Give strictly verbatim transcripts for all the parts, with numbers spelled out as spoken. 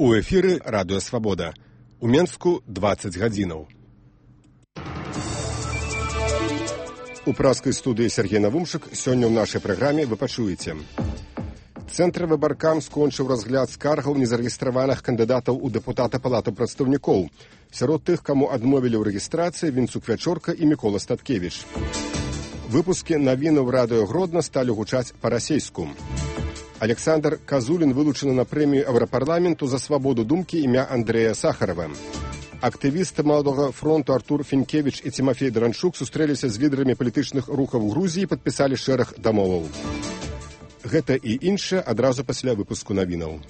У эфіры Радыё Свабода. У Менску дваццаць гадзінаў. У праскай студыі Сергей Навумшык сёння ў нашай праграме вы пачуеце. Цэнтр выбаркам скончыў разгляд скаргаў незарэгістраваных кандыдатаў у дэпутата Палаты прадстаўнікоў. Сярод тых, каму адмовілі ў рэгістрацыі, Вінцук Вячорка і Мікола Статкевіч. Выпускі навінаў Радыё Гродна сталі гучаць па-расейску. Александр Казулін вылучаны на прэмію Еўрапарламенту за свабоду думкі імя Андрэя Сахарова. Актывісты Маладога фронту Артур Фінкевіч і Тимофей Дранчук сустрэліся з лідарамі палітычных рухаў Грузіі і падпісалі шэраг дамоваў. Гэта і іншае адразу пасля выпуску навінаў.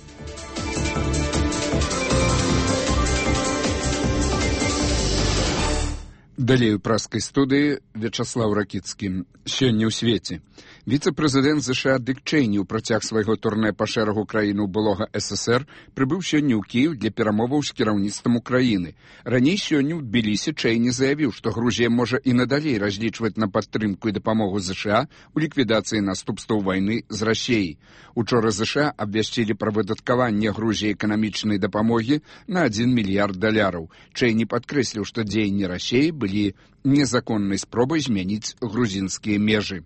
Далей у праскай студыі Вячаслаў Ракіцкі. Сёння ў свеце. Віцэ-прэзідэнт ЗША Дык Чэйні ў працяг свайго турнэ па шэрагу краінаў былога СССР прыбыў сёння ў Кіеў для перамоваў з кіраўніцтвам Украіны. Раней сёння ў Тбілісі Чэйні заявіў, што Грузія можа і надалей разлічваць на падтрымку і дапамогу ЗША ў ліквідацыі наступстваў вайны з Расіяй. Учора ЗША абвясцілі пра выдаткаванне Грузіі эканамічнай дапамогі на адзін мільярд даляраў. Чэйні падкрэсліў, што дзеянні Расіі былі незаконнай спробай змяніць грузінскія межы.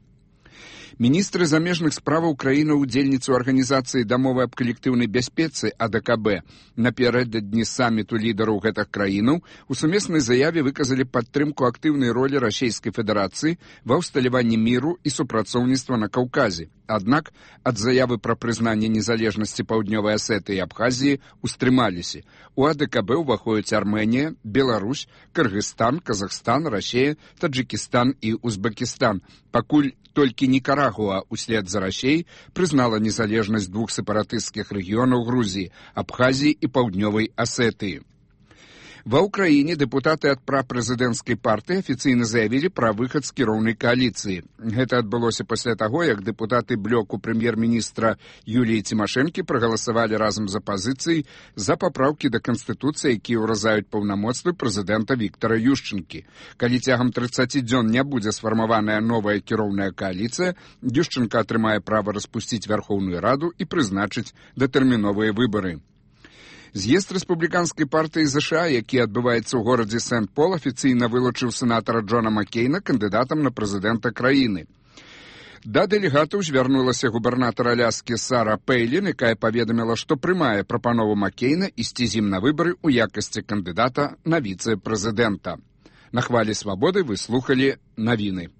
Міністры замежных справаў краіны-удзельніцы арганізацыі дамовы аб калектыўнай бяспецы А Д К Б напярэдадні саміту лідараў гэтых краінаў у сумеснай заяве выказалі падтрымку актыўнай ролі Расійскай Федэрацыі ва ўсталяванні міру і супрацоўніцтва на Каўказе. Аднак ад заявы пра прызнанне незалежнасці Паўднёвай Асетыі і Абхазіі устрымаліся. У А Д К Б ўваходзяць Арменія, Беларусь, Кыргызстан, Казахстан, Расія, Таджыкістан і Узбекістан. Пакуль толькі Нікарагуа услед за Расіяй прызнала незалежнасць двух сепаратысцкіх рэгіёнаў Грузіі, Абхазіі і Паўднёвай Асетыі. Ва ўкраіне дэпутаты ад прапрэзідэнцкай партыі афіцыйна заявілі пра выхад з кіроўнай кааліцыі. Гэта адбылося пасля таго, як дэпутаты блоку прэм'ер-міністра Юліі Цімашэнкі прагаласавалі разам з апазіцыяй за папраўкі да Канстытуцыі, якія ўразаюць паўнамоцтвы прэзідэнта Віктара Юшчэнкі. Калі цягам трыццаці дзён не будзе сфармаваная новая кіроўная кааліцыя, Юшчэнка атрымае права распусціць Вярхоўную Раду і прызначыць датэрміновыя выбары. З'езд рэспубліканскай партыі ЗША, які адбываецца ў горадзе Сент-Пол, афіцыйна вылучыў сенатара Джона Маккейна кандыдатам на прэзідэнта краіны. Да дэлегатаў звярнулася губернатар Аляскі Сара Пэйлін, якая паведаміла, што прымае прапанову Маккейна ісці з ім на выбары ў якасці кандыдата на віцэ-прэзідэнта. На хвалі свабоды вы слухалі навіны.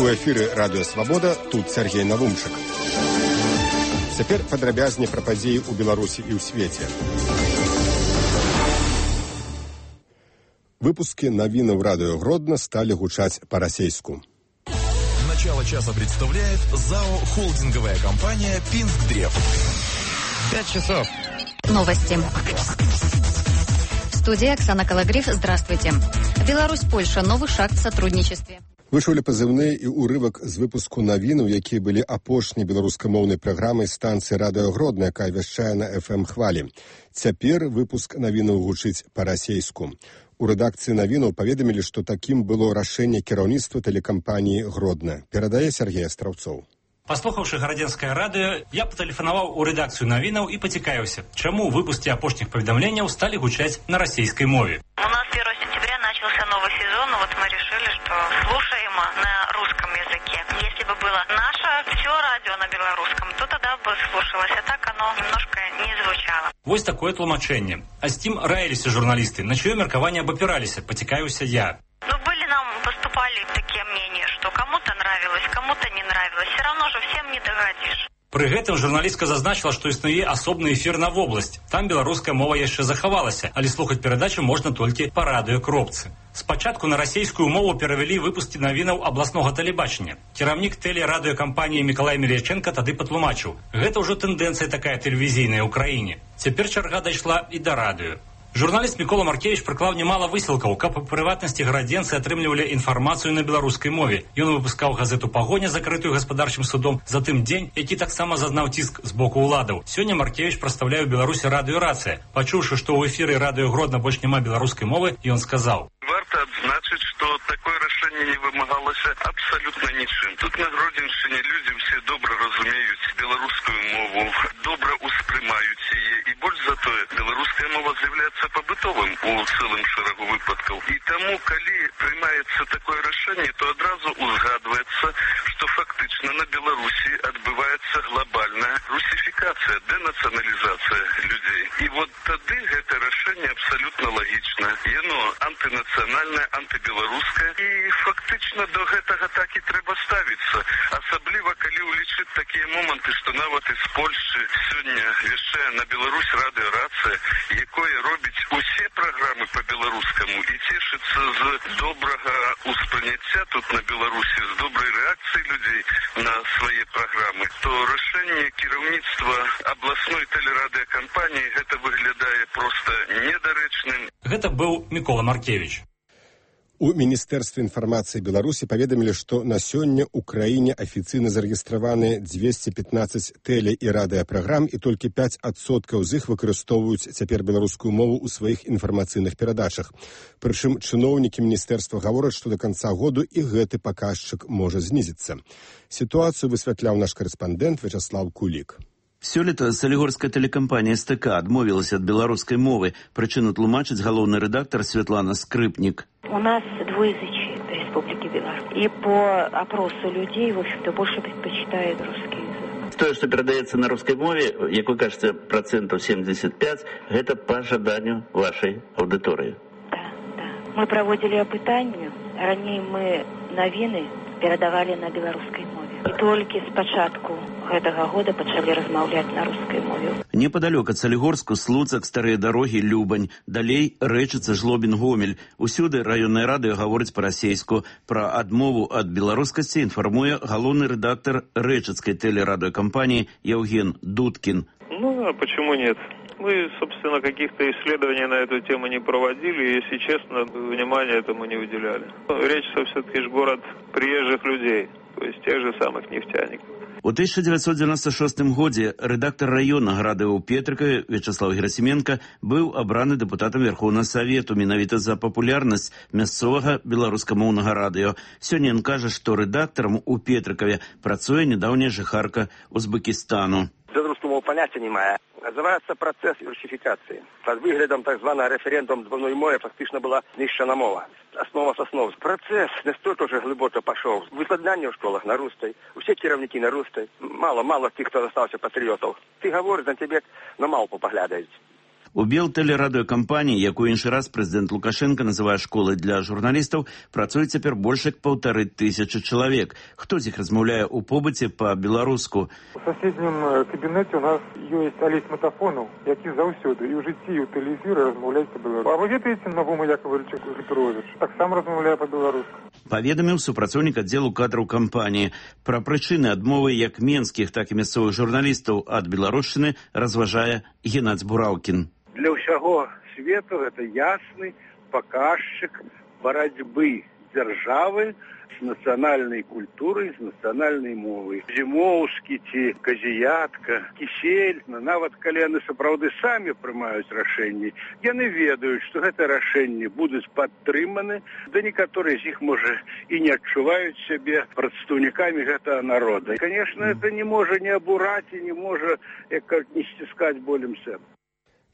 У эфіры Радыё Свабода, тут Сергей Навумшык. Цяпер падрабязней пра падзеі ў Беларусі і ў свеце. Выпускі навінаў Радыё Гродна сталі гучаць па-расейску. Начало часа представляет ЗАО «Холдинговая компания Пинск-Древ». Пять часов. Новости. В студии Оксана Калагриф. Здравствуйте. Беларусь-Польша. Новый шаг в сотрудничестве. Вы чулі пазыўны і ўрывак з выпуску навінаў, якія былі апошняй беларускамоўнай праграмай станцыі Радыё Гродна, якая вяшчае на эф эм хвалі. Цяпер выпуск навінаў гучыць па-расейску. У рэдакцыі навінаў паведамілі, што такім было рашэнне кіраўніцтва тэлекампаніі Гродна. Перадае Сергей Астраўцоў. Паслухаўшы гарадзенскае радыё, я патэлефанаваў у рэдакцыю навінаў і пацікавіўся, чаму выпускі апошніх паведамленняў сталі гучаць на расійскай мове. У нас первого сентября начался новый сезон, и вот мы решили, что слушаем на русском языке. Если бы было наше все радио на белорусском, то тогда бы слушалось, а так оно немножко не звучало. Вось такое тлумачэнне. А з тим раіліся журналісты, на чье меркаванне абапіраліся, пацікавіўся я. Ну, были нам, поступали такие мнения, что кому-то нравилось, кому-то не нравилось. Все равно же всем не догадишь. Пры гэтым журналістка зазначыла, што існуе асобны эфір на вобласць. Там беларуская мова яшчэ захавалася, але слухаць перадачу можна толькі па радыёкропцы. Спачатку на расійскую мову перавялі выпускі навінаў абласнога тэлебачання. Кіраўнік тэлерадыёкампаніі Мікалай Мелеченка тады патлумачыў: гэта ўжо тэндэнцыя такая тэлевізійная ў краіне. Цяпер чарга дайшла і да радыё. Журналіст Мікола Маркевіч прыклаў немало высілкаў, каб у прыватнасці гарадзенцы атрымлівалі інфармацыю на беларускай мове. Ён выпускаў газету «Пагоня», закрытую гаспадарчым судом, затым «Дзень», які таксама зазнаў ціск з боку ўладаў. Сёння Маркевіч прадстаўляе ў Беларусі радыёрацыя. Пачуўшы, што ў эфіры Радыё Гродна больш няма беларускай мовы, ён сказаў: Варта адзначыць, што такое рашэнне не вымагалася абсалютна нічым. Тут на Гродзеншчыне людзі ўсе добра разумеюць беларускую мову, добра ўспрымаюць яе, і больш за тое, беларуская мова з'яўляецца пабытовым у цэлым шэрагу выпадкаў. І таму, калі прымаецца такое рашэнне, то адразу узгадваецца, што фактычна на Беларусі адбываецца глобальная русифікацыя, дэнацыяналізацыя людзей. І вот тады гэта рашэнне абсалютна лагічна. Яно антынацыянальнае, антыбеларускае, і фактычна до гэтага так і трэба ставіцца. Асабліва, калі ўлічыць такія моманты, што нават з Польшчы сёння вяшчае на Беларусь радыёрацыя, якое робіць усе праграмы па-беларускаму і цешыцца з добрага ўспрыняцця тут на Беларусі, з добрай рэакцыі людзей на свае праграмы, то рашэнне кіраўніцтва абласной тэлерадыёкампаніі гэта выглядае проста недарэчным. Гэта быў Мікола Маркевіч. У Міністэрстве інфармацыі Беларусі паведамілі, што на сёння ў краіне афіцыйна зарэгістраваны дзвесце пятнаццаць тэле- і радыёпраграм, і толькі пяць адсоткаў з іх выкарыстоўваюць цяпер беларускую мову ў сваіх інфармацыйных перадачах. Прычым чыноўнікі міністэрства гавораць, што да канца году і гэты паказчык можа знізіцца. Сітуацыю высвятляў наш карэспандэнт Вячаслав Кулік. Сёлета салігорская тэлекампанія эс тэ ка адмовілася ад беларускай мовы. Прычыну тлумачыць галоўны рэдактар Светлана Скрыпнік. У нас двуязычие в Республике Беларусь. И по опросу людей, в общем-то, больше предпочитают русский язык. То, что передается на русской мове, как вы кажется, процентов семьдесят пять, это по жаданию вашей аудитории. Да, да. Мы проводили опытание. Ранее мы новины передавали на белорусской мове. И только с початку гэтага года пачалі размаўляць на рускай мове. Непадалёк ад Салігорску Слуцак, старыя дарогі, Любань, далей Рэчыца, Жлобін, Гомель. Усюды раённае радыё гаворыць па-расейску. Пра адмову ад беларускасці інфармуе галоўны рэдактар Рэчыцкай тэлерадыёкампаніі Евген Дудкин. Ну, а почему нет? Мы, собственно, каких-то исследований на эту тему не проводили, и, если честно, внимания этому не уделяли. Рэчица все-таки же город приезжих людей, то есть тех же самых нефтяников. У тысяча девятьсот девяносто шестым годзе рэдактар раённага радыё ў Петрыкаве Вячаслав Герасименко быў абраны дэпутатам Верховнага Савету менавіта за папулярнасць мясцовага беларускамоўнага радыё. Сёння ён кажа, што рэдактарам у Петрыкаве працуе нядаўняя жыхарка Узбекистану. Белорусскому понятия не мая. Называется процесс русификации. Под выглядом так званого референдум двойной мовы фактично была знищена мова. Основа с основ. Процесс настолько уже глубоко пошел. Выкладання в школах на русской. Все керівники на русской. Мало-мало тих, хто залишився патріотів. Ти говориш, на тебе на малпу поглядають. У Белтэлерадыёкампаніі, якую іншы раз прэзідэнт Лукашенко называе школай для журналістаў, працуе цяпер больш як паўтары тысячы чалавек. Хто з іх размаўляе ў побыце па-беларуску? У соседнім кабінеце у нас ёсць Алесь Матафонов, які заўсёды і ў жыцці, і ў тэлевізоры размаўляе па-беларуску. А вы ведаеце Навума Яковлевича Петрович? Таксама размаўляе па-беларуску. Паведаміў супрацоўнік аддзелу кадраў кампаніі. Пра прычыны адмовы як менскіх, так і мясцовых журналістаў ад беларушчыны разважае Геннадзь Бураўкін. Для ўсяго свету гэта ясны паказчык барацьбы дзяржавы з нацыянальнай культурай, з нацыянальнай мовай. Зімоўскі ці Казіятка, Кісель, нават калі яны сапраўды самі прымаюць рашэнні, яны ведаюць, што гэта рашэнні будуць падтрыманы, да некаторыя з іх, можа, і не адчуваюць сябе прадстаўнікамі гэтага народа. І, конечно, это не можа не абураць і не можа, як не сціскаць болем сэрца.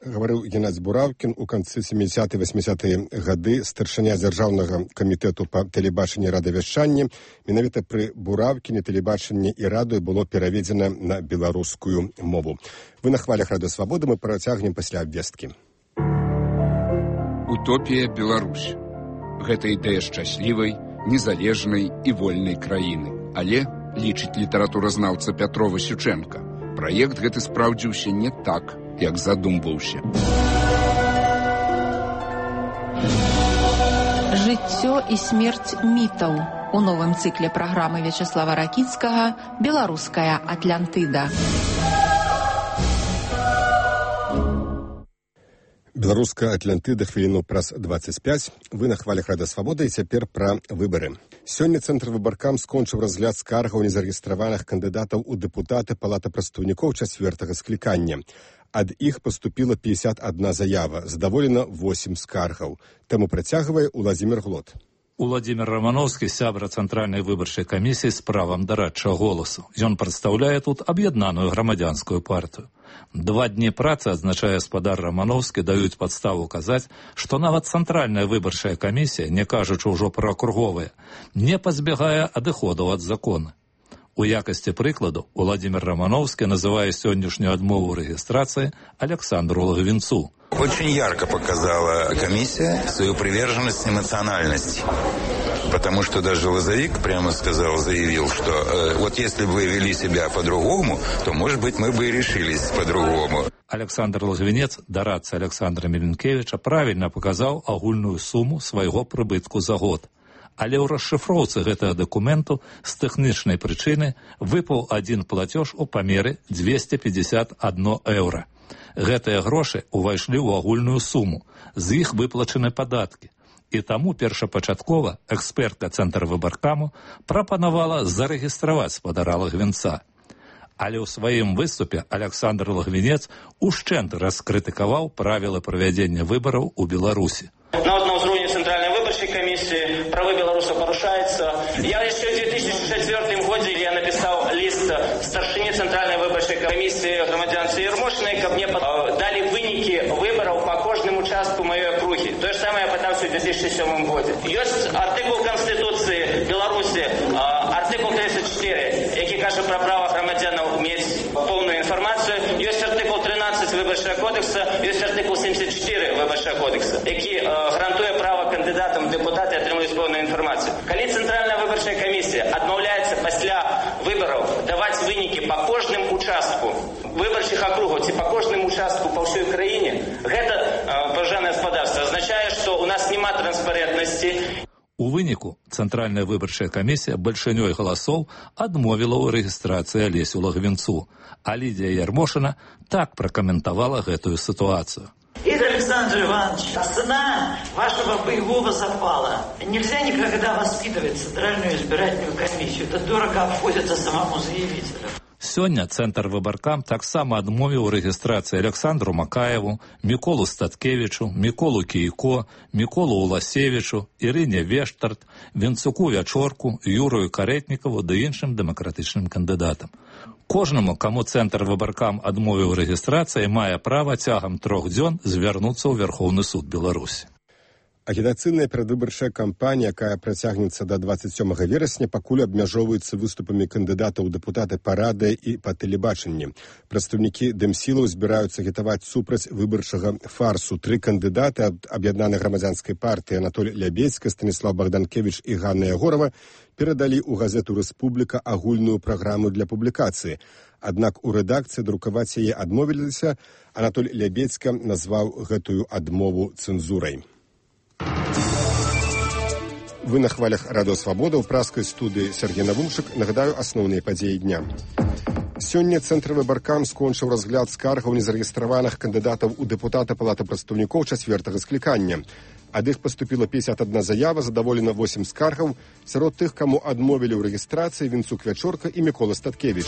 Гаварыў Геннадзь Бураўкін. У канцы сямідзясятыя васьмідзясятыя гады старшыня дзяржаўнага камітэту па тэлебачанні і радыёвяшчанні. Менавіта пры Бураўкіне тэлебачанне і радыё было пераведзена на беларускую мову. Вы на хвалях Радыё Свабода, мы працягнем пасля абвесткі. Утопія Беларусь. Гэта ідэя шчаслівай, незалежнай і вольнай краіны. Але, лічыць літаратуразнаўца Пятрова Сючэнка, праект гэты спраўдзіўся не так, як задумваўся. Жыццё і смерць мітаў у новым цыкле праграмы Вячаслава Ракіцкага «Беларуская Атлантыда». Беларуская Атлантыда хвіліну праз дваццаць пяць. Вы на хвалях Радыё Свабода, і цяпер пра выбары. Сёння Цэнтр выбаркам скончыў разгляд скаргаў незарэгістраваных кандыдатаў у дэпутаты Палаты прадстаўнікоў чацвёртага склікання. Ад іх паступіла пятьдесят одна заява, задаволена восемь скаргаў. Таму працягвае Уладзімір Глот. Уладзімір Рамановскі, сябра Цэнтральнай выбарчай камісіі з правам дарадчага голасу. Ён прадстаўляе тут аб'яднаную грамадзянскую партыю. Два дні працы, адзначае гаспадар Рамановскі, даюць падставу казаць, што нават Цэнтральная выбарчая камісія, не кажучы ўжо пра акруговыя, не пазбягае адыходаў ад закона. У якасці прыкладу Уладзімір Рамановскі называе сённяшнюю адмову рэгістрацыі Александру Лагвинцу. Очень ярко показала комиссия свою приверженность эмоциональности. Потому что даже Лазовик прямо сказал, заявил, что э, вот если бы вы вели себя по-другому, то, может быть, мы бы и решились по-другому. Александр Лагвинец, дарадца Александра Меленкевича, правильно показал агульную сумму свайго прыбытку за год. Але ў расшыфроўцы гэтага дакументу з тэхнічнай прычыны выпаў адзін платеж у памеры двести пятьдесят один еўра. Гэтыя грошы ўвайшлі ў агульную суму, з іх выплачаны падаткі. І таму першапачаткова экспертка Цэнтрвыбаркаму прапанавала зарэгістраваць спадара Лагвинца. Але ў сваім выступе Александр Лагвинец ушчэнт раскрытыкаваў правілы правядзення выбараў у Беларусі. Нават на ўзроўні Цэнтральнай выбарчай камісіі правы беларусаў парушаюцца. Я яшчэ ў две тысячи четвёртым годзе я напісаў ліст старшыні Цэнтральнай выбарчай камісіі грамадзянцы Ермошынай, каб мне далі вынікі выбараў па кожным участку маёй акругі. Тое ж самае я пытаўся ў две тысячи сёмым годзе. Ёсць артыкул Канстытуцыі Беларусі, артыкул тридцать четыре, які кажа пра права грамадзянаў мець поўную інфармацыю. Ёсць артыкул тринадцать выбарчага кодекса, ёсць артыкул семьдесят четыре выбарчага кодекса, які гарантуе права кандыдатам у дэпутаты атрымаць поўную інфармацыю. Калі Цэнтральная выбарчая камісія адмаўляецца пасля выбараў даваць вынікі па кожным участку выбарчых акругаў ці па кожным участку па ўсёй краіне, гэта, паважанае гаспадарства, азначае, што ў нас няма транспарентнасці. У выніку Цэнтральная выбарчая камісія бальшынёй галасоў адмовіла ў рэгістрацыі Алесю Лагвинцу, а Лідія Ярмошина так пракаментавала гэтую сітуацыю. Игорь Александрович Иванович, цена вашего боевого запала. Нельзя никогда воспитывать Центральную избирательную комиссию. Это дорого обходится самому заявителю. Сёння Цэнтрвыбаркам таксама адмовіў рэгістрацыі Александру Макаеву, Міколу Статкевічу, Міколу Кійко, Міколу Уласевічу, Ірыне Вештарт, Вінцуку Вячорку, Юрою Каретнікаву ды іншым дэмакратычным кандыдатам. Кожнаму, каму Цэнтрвыбаркам адмовіў рэгістрацыі, мае права цягам трох дзён звярнуцца ў Верхоўны суд Беларусі. Агітацыйная перадвыбарчая кампанія, якая працягнецца да двадцать сёмага верасня, пакуль абмяжоўваецца выступамі кандыдатаў у дэпутаты па радыё і па тэлебачанні. Прадстаўнікі дэмсілаў збіраюцца агітаваць супраць выбарчага фарсу. Тры кандыдаты ад аб'яднанай грамадзянскай партыі Анатоль Лябедзька, Станіслав Богданкевич і Ганна Ягорова перадалі ў газету «Рэспубліка» агульную праграму для публікацыі. Аднак у рэдакцыі друкаваць яе адмовіліся. Анатоль Лябедзька назваў гэтую адмову цэнзурай. Вы на хвалях Радио Свобода ў праскай студыі Сергей Навумшык. Нагадаю асноўныя падзеі дня. Сёння Цэнтрвыбаркам скончыў разгляд скаргаў незарэгістраваных кандыдатаў у дэпутата Палаты прадстаўнікоў чацвёртага склікання. Ад іх паступіла пятьдесят одна заява, задаволена восемь скаргаў. Сярод тых, каму адмовілі ў рэгістрацыі, Вінцук Вячорка і Мікола Статкевіч.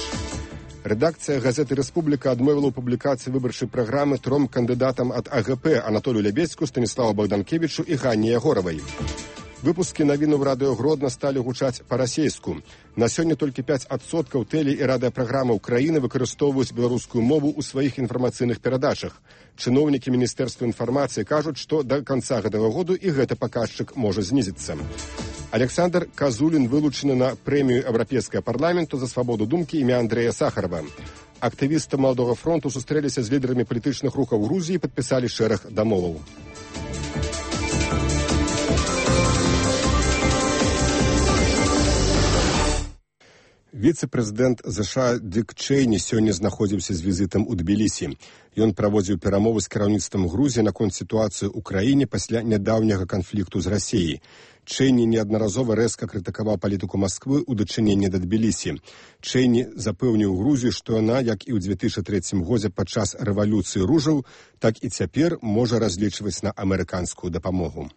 Рэдакцыя газеты «Рэспубліка» адмовіла ў публікацыі выбарчай праграмы тром кандыдатам ад А Г П Анатолю Лябедзьку, Станіславу Богданкевичу і Ганне Ягоравай. Выпускі навіну ў радыё Гродна сталі гучаць па-расейску. На сёння толькі пяць адсоткаў тэле- і радыёпраграмаў краіны выкарыстоўваюць беларускую мову ў сваіх інфармацыйных перадачах. Чыноўнікі Міністэрства інфармацыі кажуць, што да канца гэтага году і гэты паказчык можа знізіцца. Александр Казулін вылучаны на прэмію Еўрапейскага парламенту за свабоду думкі імя Андрэя Сахарова. Актывісты Маладога фронту сустрэліся з лідарамі палітычных рухаў Грузіі і падпісалі шэраг дамоваў. Віцэ-прэзідэнт ЗША Дик Чейні сёння знаходзіўся з візітам у Тбілісі. Ён праводзіў перамовы з кіраўніцтвам Грузіі наконт сітуацыі ў краіне пасля нядаўняга канфлікту з Расіяй. Чейні неаднаразова рэзка крытыкаваў палітыку Масквы ў дачыненні да Тбілісі. Чейні запэўніў Грузію, што яна, як і ў две тысячи трэцім годзе падчас рэвалюцыі ружаў, так і цяпер можа разлічваць на амерыканскую дапамогу.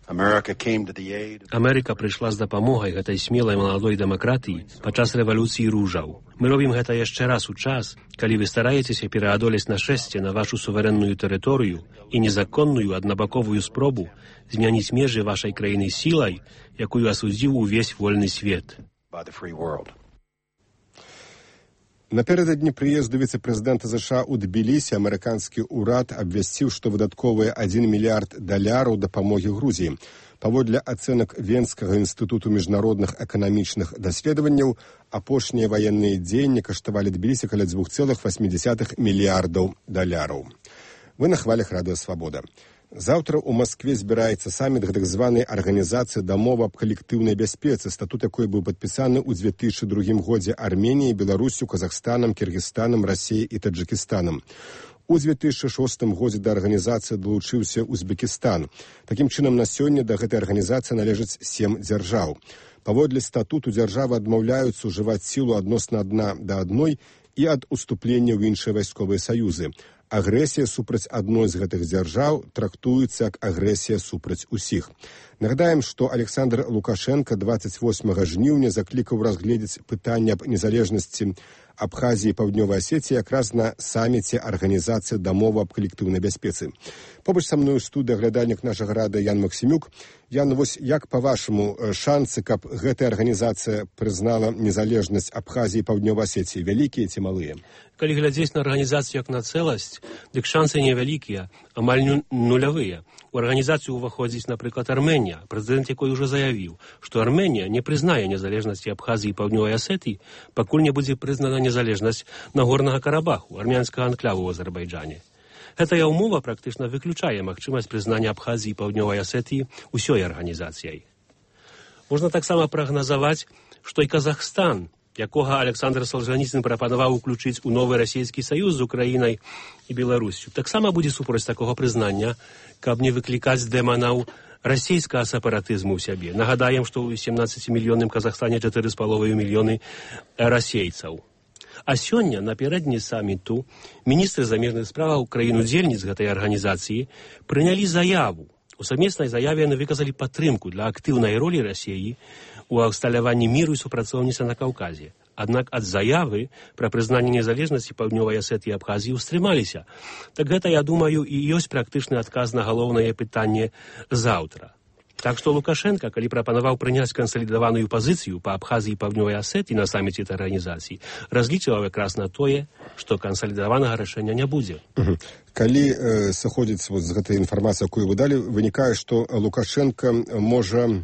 Амерыка прыйшла з дапамогай гэтай смелай маладой дэмакратыі падчас рэвалюцыі ружаў. Мы робім гэта яшчэ раз у час, калі вы стараецеся пераадолець нашэсце на вашу суверэнную тэрыторыю і незаконную аднабаковую спробу змяніць межы вашай краіны сілай, якую асудзіў увесь вольны свет. Напередадні прыезду віцэ-прэзідэнта ЗША ў Тбілісі амерыканскі ўрад абвясціў, што выдатковыя адзін мільярд даляраў дапамогі Грузіі. Паводле ацэнак Венскага інстытуту міжнародных эканамічных даследаванняў, апошнія ваенныя дзеянні каштавалі Тбілісі каля два цэлых васем дзесятых мільярдаў даляраў. Вы на хвалях Радыё Свабода. Заўтра ў Маскве збіраецца саміт гэтак званай арганізацыі дамовы аб калектыўнай бяспецы, статут якой быў падпісаны ў дзве тысячы другім годзе Арменіяй, Беларусю, Казахстанам, Кіргізстанам, Расіяй і Таджыкістанам. У дзве тысячы шостым годзе да арганізацыі далучыўся Узбекістан. Такім чынам, на сёння да гэтай арганізацыі належаць сем дзяржаў. Паводле статуту дзяржавы адмаўляюцца ўжываць сілу адносна адна да адной і ад уступлення ў іншыя вайсковыя саюзы. Агрэсія супраць адной з гэтых дзяржаў трактуецца як агрэсія супраць усіх. Нагадаем, што Александр Лукашенко дваццаць восьмага жніўня заклікаў разгледзець пытанне аб незалежнасці Абхазіі і Паўднёвай Асеціі якраз на саміце арганізацыі дамовы аб калектыўнай бяспецы. Побач са мною студыя глядальнік нашага рада Ян Максімюк. Ян, вось як, па-вашаму, шансы, каб гэтая арганізацыя прызнала незалежнасць Абхазіі і Паўднёвай Асеціі, вялікія ці малыя? Калі глядзець на арганізацыю як на цэласць, дык шансы невялікія, амаль нулявыя. У арганізацыю ўваходзіць, напрыклад, Арменія, прэзідэнт якой ужо заявіў, што Арменія не прызнае незалежнасці Абхазіі і Паўднёвай Асетыі, пакуль не будзе прызнана незалежнасць Нагорнага Карабаху, армянскага анклаву ў Азербайджане. Гэтая ўмова практычна выключае магчымасць прызнання Абхазіі і Паўднёвай Асетыі ўсёй арганізацыяй. Можна таксама прагназаваць, што і Казахстан, якога Александр Солжаніцын прапанаваў уключыць у новы расійскі саюз з Украінай і Беларусю, таксама будзе супроць такога прызнання, каб не выклікаць дэманаў расійскага сепаратызму ў сябе. Нагадаем, што ў семнаццацімільённым Казахстане чатыры з паловай мільёны расейцаў. А сёння, напярэдадні саміту, міністры замежных справаў краін-удзельніц гэтай арганізацыі прынялі заяву. У сумеснай заяве яны выказалі падтрымку для актыўнай ролі Расіі у усталяванні міру і супрацоўніцтва на Каўказе. Аднак ад заявы пра прызнанне незалежнасці Паўднёвай Асетыі і Абхазіі ўстрымаліся. Так гэта, я думаю, і ёсць практычны адказ на галоўнае пытанне заўтра. Так што Лукашенко, калі прапанаваў прыняць кансалідаваную пазіцыю па Абхазіі і Паўднёвай Асетыі на саміце этой арганізацыі, разлічваў якраз на тое, што кансалідаванага рашэння не будзе. Угу. Калі э, сыходзіць вот, з гэтай інфармацыі, якую вы далі, вынікае, што Лукашенко можа э,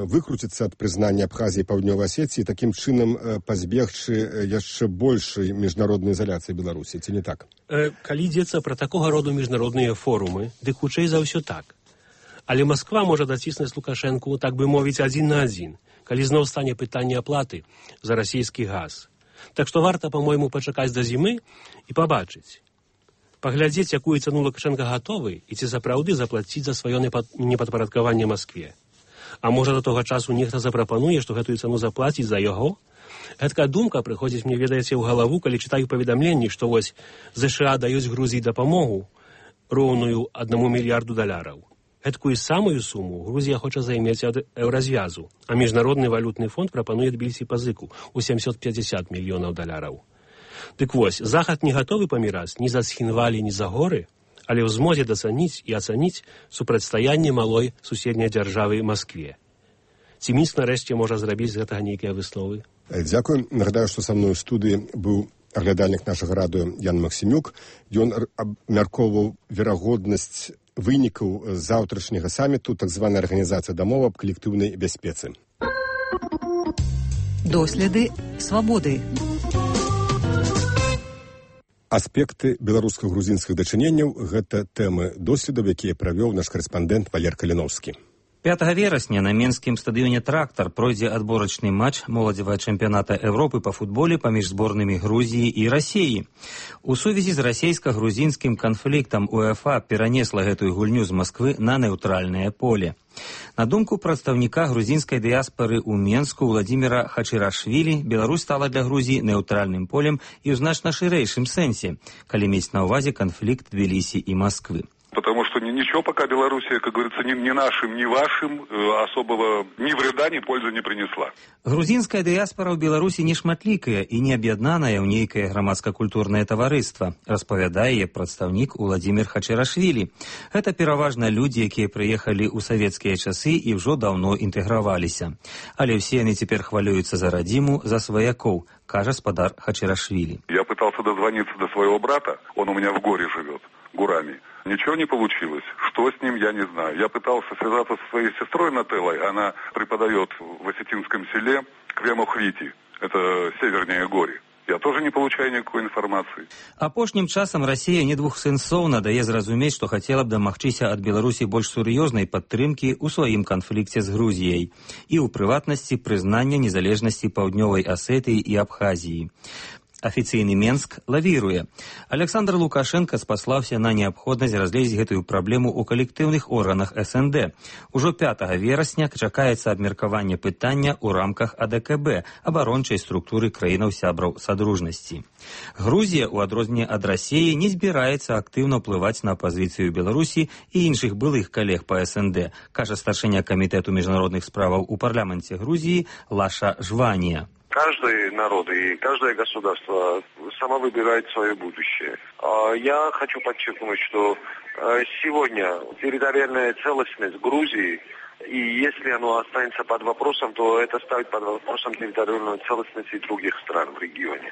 выкруціцца ад прызнання Абхазіі і Паўднёвай Асетыі, такім чынам э, пазбегчы яшчэ большай міжнароднай изоляцыі Беларусі, ці не так? Э, калі ідзецца пра такога роду міжнародныя форумы, дык хутчэй за ўсё так. Але Масква можа даціснуць Лукашэнку, так бы мовіць, адзін на адзін, калі зноў стане пытанне аплаты за расійскі газ. Так што варта, па-мойму, пачакаць да зімы і пабачыць. Паглядзець, якую цану Лукашенка гатовы і ці сапраўды заплаціць за сваё непадпарадкаванне Маскве. А можа, да того часу нехта запрапануе, што гэтую цану заплаціць за яго? Гэткая думка прыходзіць, мне ведаеце, ў галаву, калі чытаю паведамленні, што вось ЗША даюць Грузіі дапамогу роўную аднаму мільярду даляраў. Гэткую самую суму Грузія хоча займець ад еўразвязу, а Міжнародны валютны фонд прапануе Тбілісі пазыку ў сямсот пятьдесят мільёнаў даляраў. Дык вось, Захад не гатовы паміраць ні за Схінвалі, ні за горы, але ў змозе дацаніць і ацаніць супрацьстаянне малой суседняй дзяржавы Маскве. Ці Мінск нарэшце можа зрабіць з гэтага нейкія высновы? Дзякуй. Нагадаю, што са мной у студыі быў аглядальнік нашага радыё Ян Максімюк. Ён абмяркоўваў верагоднасць вынікаў заўтрашняга саміту так званай арганізацыі дамовы аб калектыўнай бяспецы. Доследы свабоды. Аспекты беларуска-грузінскіх дачыненняў – гэта тэмы доследаў, якія правёў наш карэспандэнт Валер Каліновскі. пятага верасня на менскім стадыёне «Трактар» пройдзе адборачны матч моладзевага чэмпіяната Европы па футболе паміж зборнымі Грузіі і Расіі. У сувязі з расійска-грузінскім канфліктам УЕФА перанесла гэтую гульню з Масквы на нейтральнае поле. На думку прадстаўніка грузінскай дыяспары ў Менску Владзіміра Хачырашвілі, Беларусь стала для Грузіі нейтральным полем і ў значна шырэйшым сэнсе, калі мець на ўвазе канфлікт Тбілісі і Масквы. потому что ничего пока Белоруссия, как говорится, ни, ни нашим, ни вашим особого ни вреда, ни пользы не принесла. Грузінская дыяспора ў Беларусі не шматлікая і не аб'яднаная ў нейкае грамадска-культурнае таварыства, распавядае прадстаўнік Уладзімір Хачарашвілі. Гэта пераважна людзі, якія прыехалі ў савецкія часы і ўжо даўно інтэграваліся. Але ўсе яны цяпер хвалююцца за радзіму, за сваякоў, кажа спадар Хачарашвілі. Я пытался дозвониться до своего брата, он у меня в горе живет, Гурами. Ничего не получилось. Что с ним, я не знаю. Я пытался связаться со своей сестрой Нателлой. Она преподает в Осетинском селе Квемохвити. Это севернее Гори. Я тоже не получаю никакой информации. Апошнім часам Расія недвухсэнсоўна дае зразумець, што хацела б дамагчыся ад Беларусі больш сур'ёзнай падтрымкі ў сваім канфлікце з Грузіяй і ў прыватнасці прызнання незалежнасці Паўднёвай Асетыі і Абхазіі. Афіцыйны Менск лавіруе. Александр Лукашенко спаслаўся на неабходнасць разгледзець гэтую праблему ў калектыўных органах эс эн дэ. Ужо пятага верасня чакаецца абмеркаванне пытання ў рамках а дэ ка бэ, абарончай структуры краінаў-сябраў Садружнасці. Грузія, у адрозненне ад Расіі, не збіраецца актыўна ўплываць на пазіцыю Беларусі і іншых былых калег па эс эн дэ, кажа старшыня камітэту міжнародных справаў у парламенце Грузіі Лаша Жванія. Каждый народ и каждое государство само выбирает свое будущее. Я хочу подчеркнуть, что сегодня территориальная целостность Грузии, и если оно останется под вопросом, то это ставит под вопросом территориальную целостность и других стран в регионе.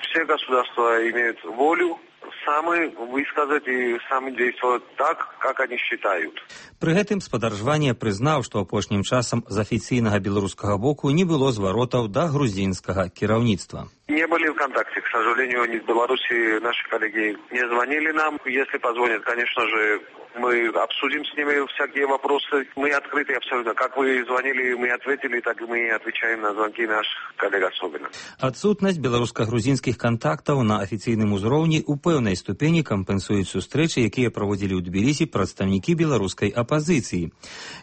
Все государства имеют волю сами высказать и сами действовать так, как они считают. Пры гэтым спадар Жванія прызнаў, што апошнім часам з афіцыйнага беларускага боку не было зваротаў да грузінскага кіраўніцтва. Не были в контакте, к сожалению, ни с Беларуси наши коллеги не звонили нам. Если позвонят, конечно же, мы обсудим с ними всякие вопросы. Мы открыты абсолютно. Как вы звонили, мы ответили, так и мы отвечаем на звонки наших коллег особенно. Адсутнасць беларуска-грузінскіх кантактаў на афіцыйным узроўні ў пэўнай ступені кампенсуюць сустрэчы, якія праводзілі ў Тбілісі прадстаўнікі беларускай апазіцыі.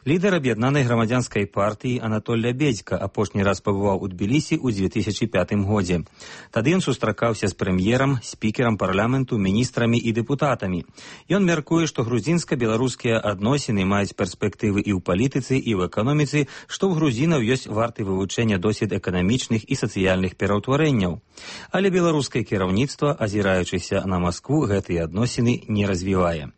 Лідар аб'яднанай грамадзянскай партыі Анатоль Лябедзька апошні раз пабываў у Тбілісі ў дзве тысячы пятым годзе. Тады ён сустракаўся з прэм'ерам, спікерам парламенту, міністрамі і дэпутатамі. Ён мяркуе, што грузінска-беларускія адносіны маюць перспектывы і ў палітыцы, і ў эканоміцы, што ў грузінаў ёсць варты вывучэння досвед эканамічных і сацыяльных пераўтварэнняў. Але беларускае кіраўніцтва, азіраючыся на Маскву, гэтыя адносіны не развівае.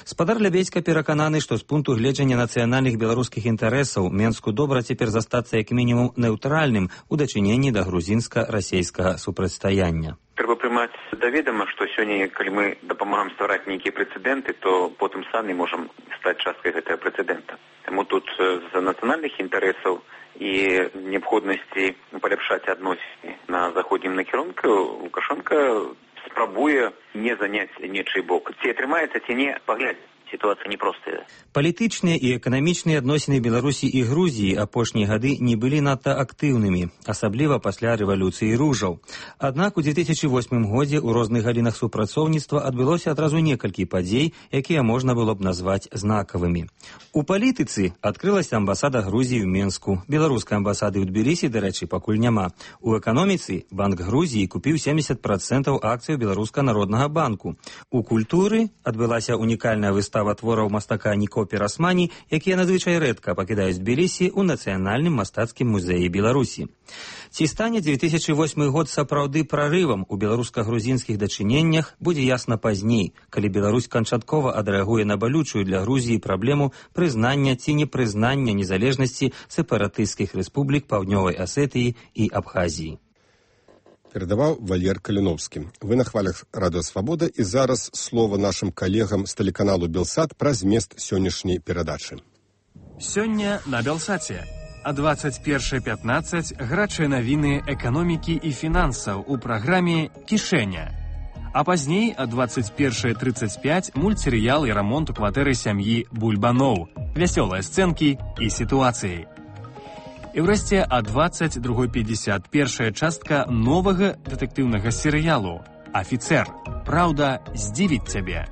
Спадар Лябедзька перакананы, што з пункту гледжання нацыянальных беларускіх інтарэсаў Менску добра цяпер застацца як мінімум неўтральным у дачыненні да грузінска-расейскага супрацьстаяння. Трэба прымаць да ведама, што сёння, калі мы дапамагаем ствараць нейкія прэцэдэнты, то потым самі можам стаць часткай гэтага прэцэдэнта. Таму тут з нацыянальных інтарэсаў і неабходнасці паляпшаць адносіны на заходнім накірунку Лукашенко спрабуе не заняць нечый бок. Ці атрымаецца, ці не, паглядзець. Ситуация непростая. Палітычныя і эканамічныя адносіны Беларусі і Грузіі апошнія гады не былі надта актыўнымі, асабліва пасля рэвалюцыі ружаў. Аднак у дзве тысячы восьмым годзе ў розных галінах супрацоўніцтва адбылося адразу некалькі падзей, якія можна было б назваць знакавымі. У палітыцы адкрылася амбасада Грузіі ў Менску, беларускай амбасады ў Тбілісі, дарэчы, пакуль няма. У эканоміцы Банк Грузіі купіў семьдесят процентаў акцыяў Беларуска-народнага банку. У культуры адбылася унікальная выстава твораў мастака Ніко Пірасмані, якія надзвычай рэдка пакідаюць Тбілісі ў Нацыянальным мастацкім музеі Беларусі. Ці стане дзве тысячы восьмы год сапраўды прарывам у беларуска-грузінскіх дачыненнях, будзе ясна пазней, калі Беларусь канчаткова адрэагуе на балючую для Грузіі праблему прызнання ці непрызнання незалежнасці сепаратысцкіх рэспублік Паўднёвай Асетыі і Абхазіі. Перадаваў Валер Каліновскі. Вы на хвалях Радыё Свабода, і зараз слова нашым калегам з тэлеканалу Белсат пра змест сённяшняй перадачы. Сёння на Белсаце. А двадцать першае пятнаццаць гарачыя навіны эканомікі і фінансаў у праграме «Кішэня». А пазней а двадцать першае тридцать пять мультсерыял і рамонт у кватэры сям'і Бульбаноў, вясёлыя сцэнкі і сітуацыі. І ўрэшце а двадцать два пятьдесят першая частка новага дэтэктыўнага серыялу «Афіцэр. Праўда здзівіць цябе».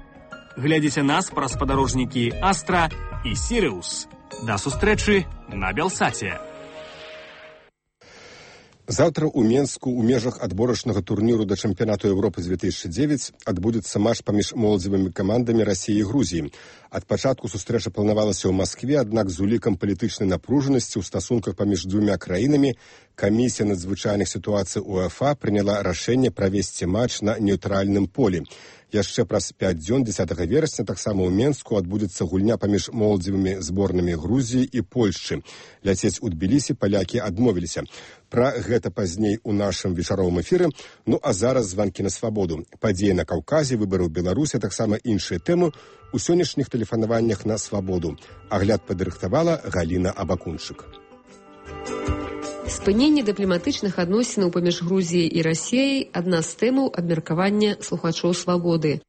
Глядзіце нас праз спадарожнікі «Астра» і «Сірыус». Да сустрэчы на Белсаце. Заўтра ў Менску ў межах адборачнага турніру да чэмпіянату Еўропы две тысячи девять адбудзецца матч паміж моладзевымі камандамі Расіі і Грузіі. Ад пачатку сустрэча планавалася ў Маскве, аднак з улікам палітычнай напружанасці ў стасунках паміж двумя краінамі камісія надзвычайных сітуацый УЕФА прыняла рашэнне правесці матч на нейтральным полі. Яшчэ праз пяць дзён дзесятага верасня таксама ў Менску адбудзецца гульня паміж моладзевымі зборнымі Грузіі і Польшчы. Ляцець у Тбілісі палякі адмовіліся. Пра гэта пазней у нашым вечаровым эфіры. Ну а зараз званкі на свабоду. Падзеі на Каўказе, выбары ў Беларусі, таксама іншыя тэмы у сённяшніх тэлефанаваннях на свабоду. Агляд падрыхтавала Галіна Абакунчык. Спыненне дыпламатычных адносінаў паміж Грузіяй і Расіяй – адна з тэмаў абмеркавання слухачоў свабоды.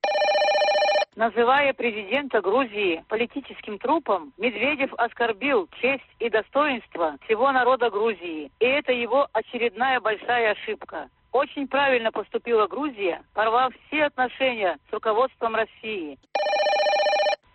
Называя президента Грузии политическим трупом, Медведев оскорбил честь и достоинство всего народа Грузии. И это его очередная большая ошибка. Очень правильно поступила Грузия, порвав все отношения с руководством России.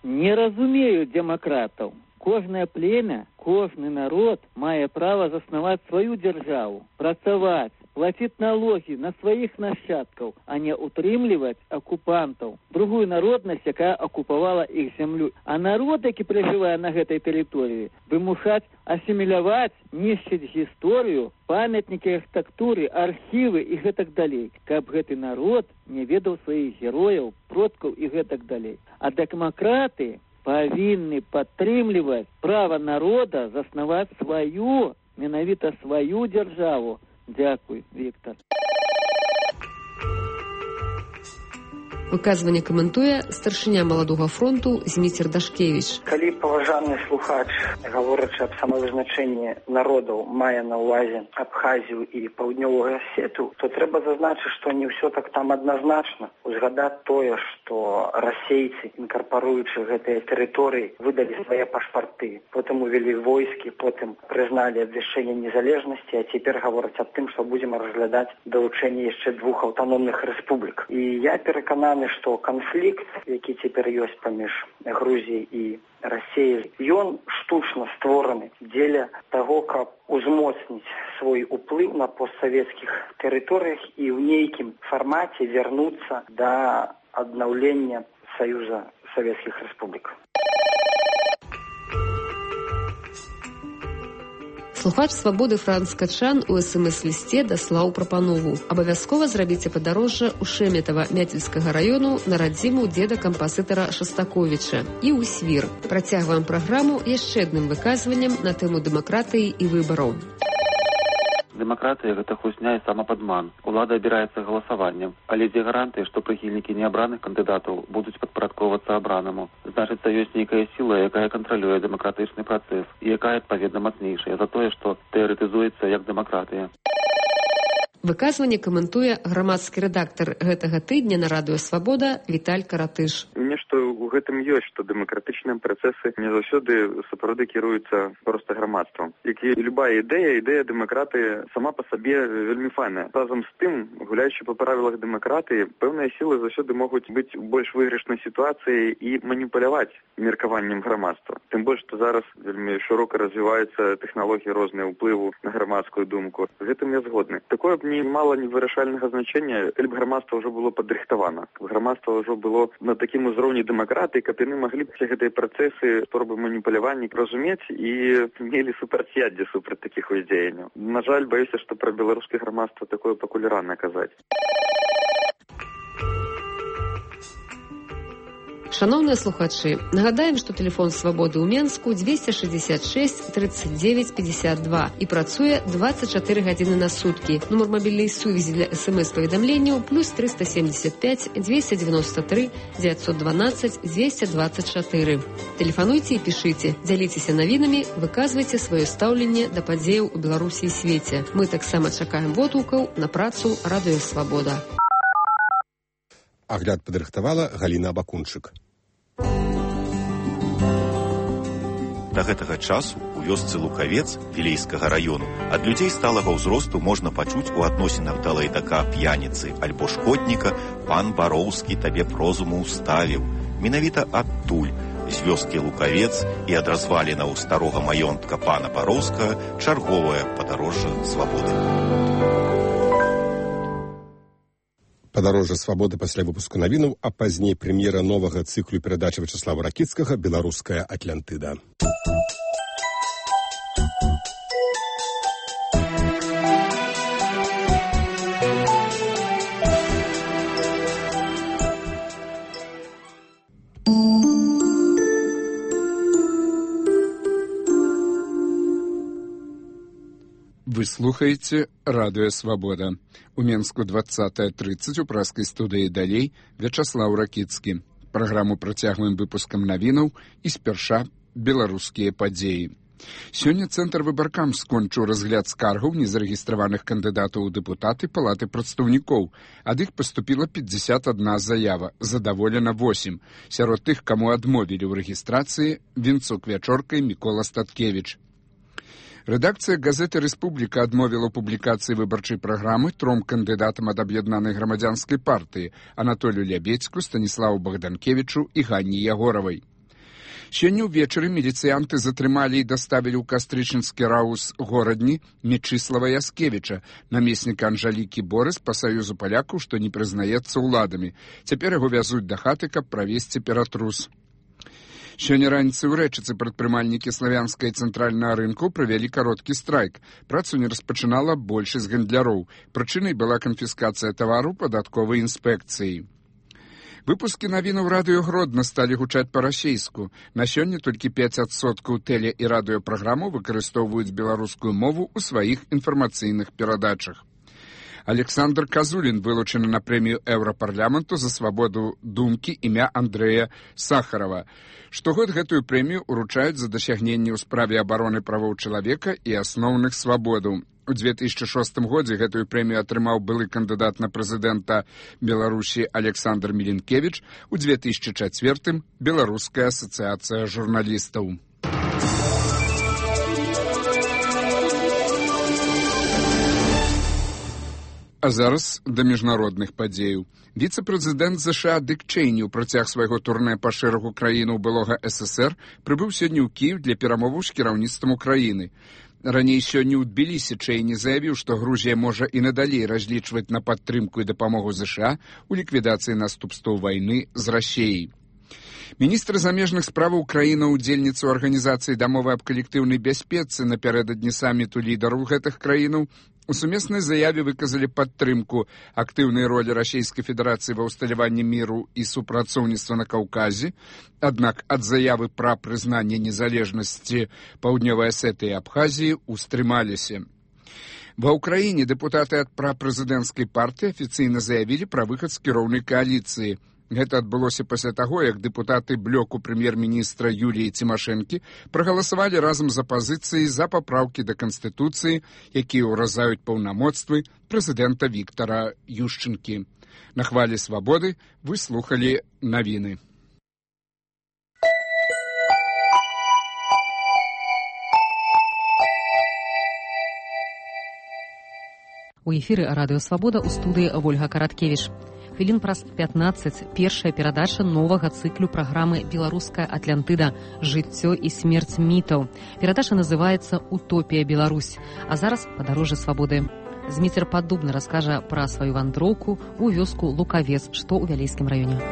Не разумею демократов. Кожное племя, кожный народ мае право заснаваць свою державу, працаваць, платить налоги на своих нащадков, а не утрымліваць оккупантов, другую народность, якая оккупавала их землю. А народ, які проживае на гэтай тэрыторыі, вымушаць асіміляваць, нішчыць гісторыю, памятнікі архітэктуры, архівы і гэтак далей, каб гэты народ не ведаў сваіх герояў, продкаў і гэтак далей. А дэмакраты павінны падтрымліваць права народа заснаваць сваю, менавіта сваю дзяржаву. Дзякуй, Віктор. Выказванне каментуе старшыня маладога фронту Зміцер Дашкевіч. Калі паважаны слухач, гаворачы аб самавызначэнні народаў, мае на ўвазе Абхазію і паўднёвую Асету, то трэба зазначыць, што не ўсё так там адназначна. Узгадаць тое, што расейцы, інкарпаруючы гэтыя тэрыторыі, выдалі свае пашпарты, потым увялі войскі, потым прызналі абвяшчэнне незалежнасці, а цяпер гавораць аб тым, што будзем разглядаць далучэнне яшчэ двух аўтаномных рэспублік. І я перакананы, што канфлікт, які цяпер ёсць паміж Грузіяй і Расіяй, ён штучна створаны дзеля таго, каб узмоцніць свой уплыў на постсавецкіх тэрыторыях і ў нейкім фармаце вярнуцца да аднаўлення Саюза Савецкіх Рэспублік. Слухач свабоды Франц Качан у эс эм эс-лісце даслаў прапанову. Абавязкова зрабіце падарожжа ў Шэметава Мяцельскага раёну на радзіму дзеда кампазітара Шастаковіча і ў Свір. Працягваем праграму яшчэ адным выказваннем на тэму дэмакратыі і выбараў. Дэмакратыя – гэта хусня і самападман. Улада абіраецца галасаваннем. Але дзе гарантыя, што прыхільнікі неабраных кандыдатаў будуць падпарадковацца абранаму? Значыцца, ёсць нейкая сіла, якая кантралюе дэмакратычны працэс і якая, адпаведна, мацнейшая за тое, што тэарэтызуецца як дэмакратыя. Выказванне каментуе грамадскі рэдактар гэтага тыдня на радыё «Свабода» Віталь Каратыш. Нешта ў гэтым ёсць, што дэмакратычныя працэсы не заўсёды сапраўды кіруюцца проста грамадствам. Як і любая ідэя, ідэя дэмакратыі сама па сабе вельмі файная. Разам з тым, гуляючы па правілах дэмакратыі, пэўныя сілы заўсёды могуць быць у больш выйгрышнай сітуацыі і маніпуляваць меркаваннем грамадства. Тым больш, што зараз вельмі шырока развіваюцца тэхналогіі розныя ўплыву на грамадскую думку. З гэтым я згодны. Такое б не мала невырашальнага значэння, калі б грамадства ўжо было падрыхтавана. Грамадства ўжо было на такім узроўні дэмакратыі, каб яны маглі б все гэтыя працэсы, спробы маніпулявання разумець і мелі супрацьяддзе супраць такіх уздзеянняў. На жаль, баюся, што пра беларускае грамадства такое пакуль рана казаць. Шановныя слухачы, нагадаем, што тэлефон свабоды ў Менску дзвесце шэсцьдзесят шэсць тридцать девять пятьдесят два і працуе двадцать чатыры гадзіны на суткі. Нумар мабільнай сувязі для эс эм эс-паведамленняў плюс триста семьдесят пять двести девяносто три девятьсот двенадцать двести двадцать четыре. Тэлефануйце і пішыце, дзяліцеся навінамі, выказвайце сваё стаўленне да падзеяў у Беларусі і свеце. Мы таксама чакаем водгукаў на працу радыё «Свабода». Агляд падрыхтавала Галіна Абакунчык. Да гэтага часу у вёсцы Лукавец Вілейскага раёну ад людзей сталага ўзросту можна пачуць у адносінах да лайдака п'яніцы альбо шкодніка «пан Бароўскі табе б розуму ўставіў». Менавіта адтуль, з вёскі Лукавец і ад развалінаў старога маёнтка пана Бароўскага чарговае падарожжа свабоды. Падарожжа свабоды пасля выпуску навінаў, а пазней прэм'ера новага цыклу перадачы Вячаслава Ракіцкага «Беларуская Атлантыда». Вы слухаеце радыё «Свабода». У Менску двадцатая тридцать у праскай студыі «Далей» Вячаслаў Ракіцкі. Праграму працягваем выпускам навінаў і спярша беларускія падзеі. Сёння Цэнтр выбаркам скончыў разгляд скаргаў незарэгістраваных кандыдатаў у дэпутаты Палаты прадстаўнікоў. Ад іх паступіла пятьдесят одна заява, задаволена восемь. Сярод тых, каму адмовілі ў рэгістрацыі, Вінцук Вячорка і Мікола Статкевіч. Рэдакцыя газеты «Рэспубліка» адмовіла ў публікацыі выбарчай праграмы тром кандыдатам ад аб'яднанай грамадзянскай партыі Анатолію Лябедзьку, Станіславу Богданкевічу і Ганні Ягоравай. Сёння ўвечары міліцыянты затрымалі і даставілі ў кастрычніцкі раус горадні Мечыслава Яскевіча, намесніка Анжалікі Борыс па Саюзу палякаў, што не прызнаецца ўладамі. Цяпер яго вязуць да хаты, каб правесці ператрус. Сёння раніцай у Рэчыцы прадпрымальнікі славянскай цэнтральнага рынку правялі кароткі страйк. Працу не распачынала большасць гандляроў. Прычынай была канфіскацыя тавару падатковай інспекцыяй. Выпускі навінаў радыё Гродна сталі гучаць па-расейску. На сёння толькі пяць адсоткаў тэле- і радыёпраграмаў выкарыстоўваюць беларускую мову ў сваіх інфармацыйных перадачах. Александр Казулін вылучаны на прэмію Еўрапарламенту за свабоду думкі імя Андрэя Сахарова. Штогод гэтую прэмію уручаюць за дасягненні ў справе абароны правоў чалавека і асноўных свабодаў. У две тысячи шостым годзе гэтую прэмію атрымаў былы кандыдат на прэзідэнта Беларусі Александр Мілінкевіч, у две тысячи чацвёртым Беларуская асацыяцыя журналістаў. А зараз да міжнародных падзеяў. Віцэ-прэзідэнт ЗША Дык Чэйні ў працяг свайго турнэ па шэрагу краінаў былога СССР прыбыў сёння ў Кіев для перамоваў з кіраўніцтвам Украіны. Раней сёння ў Тбілісі Чэйні заявіў, што Грузія можа і надалей разлічваць на падтрымку і дапамогу ЗША ў ліквідацыі наступстваў вайны з Расіяй. Міністр замежных справаў краіна-удзельніца арганізацыі дамовы аб калектыўнай бяспецы напярэдадні саміту лідараў гэтых краінаў у сумеснай заяве выказалі падтрымку актыўнай ролі Расійскай Федэрацыі ва ўсталяванні міру і супрацоўніцтва на Каўказе, аднак ад заявы пра прызнанне незалежнасці Паўднёвай Асетыі і Абхазіі устрымаліся. Ва ўкраіне дэпутаты ад прапрэзідэнцкай партыі афіцыйна заявілі пра выхад з кіроўнай кааліцыі. Гэта адбылося пасля таго, як дэпутаты блоку прэм'ер-міністра Юліі Цімашэнкі прагаласавалі разам з апазіцыяй за папраўкі да Канстытуцыі, якія ўразаюць паўнамоцтвы прэзідэнта Віктара Ющэнкі. На хвалі свабоды вы слухалі навіны. У эфіры радыё «Свабода» у студыі Вольга Караткевіч. Хвілін праз пятнаццаць першая перадача новага цыклю праграмы «Беларуская Атлантыда. Жыццё і смерць мітаў». Перадача называецца «Утопія Беларусь». А зараз падарожжа свабоды. Зміцер Паддубны раскажа пра сваю вандроўку ў вёску Лукавец, што ў Вялейскім раёне.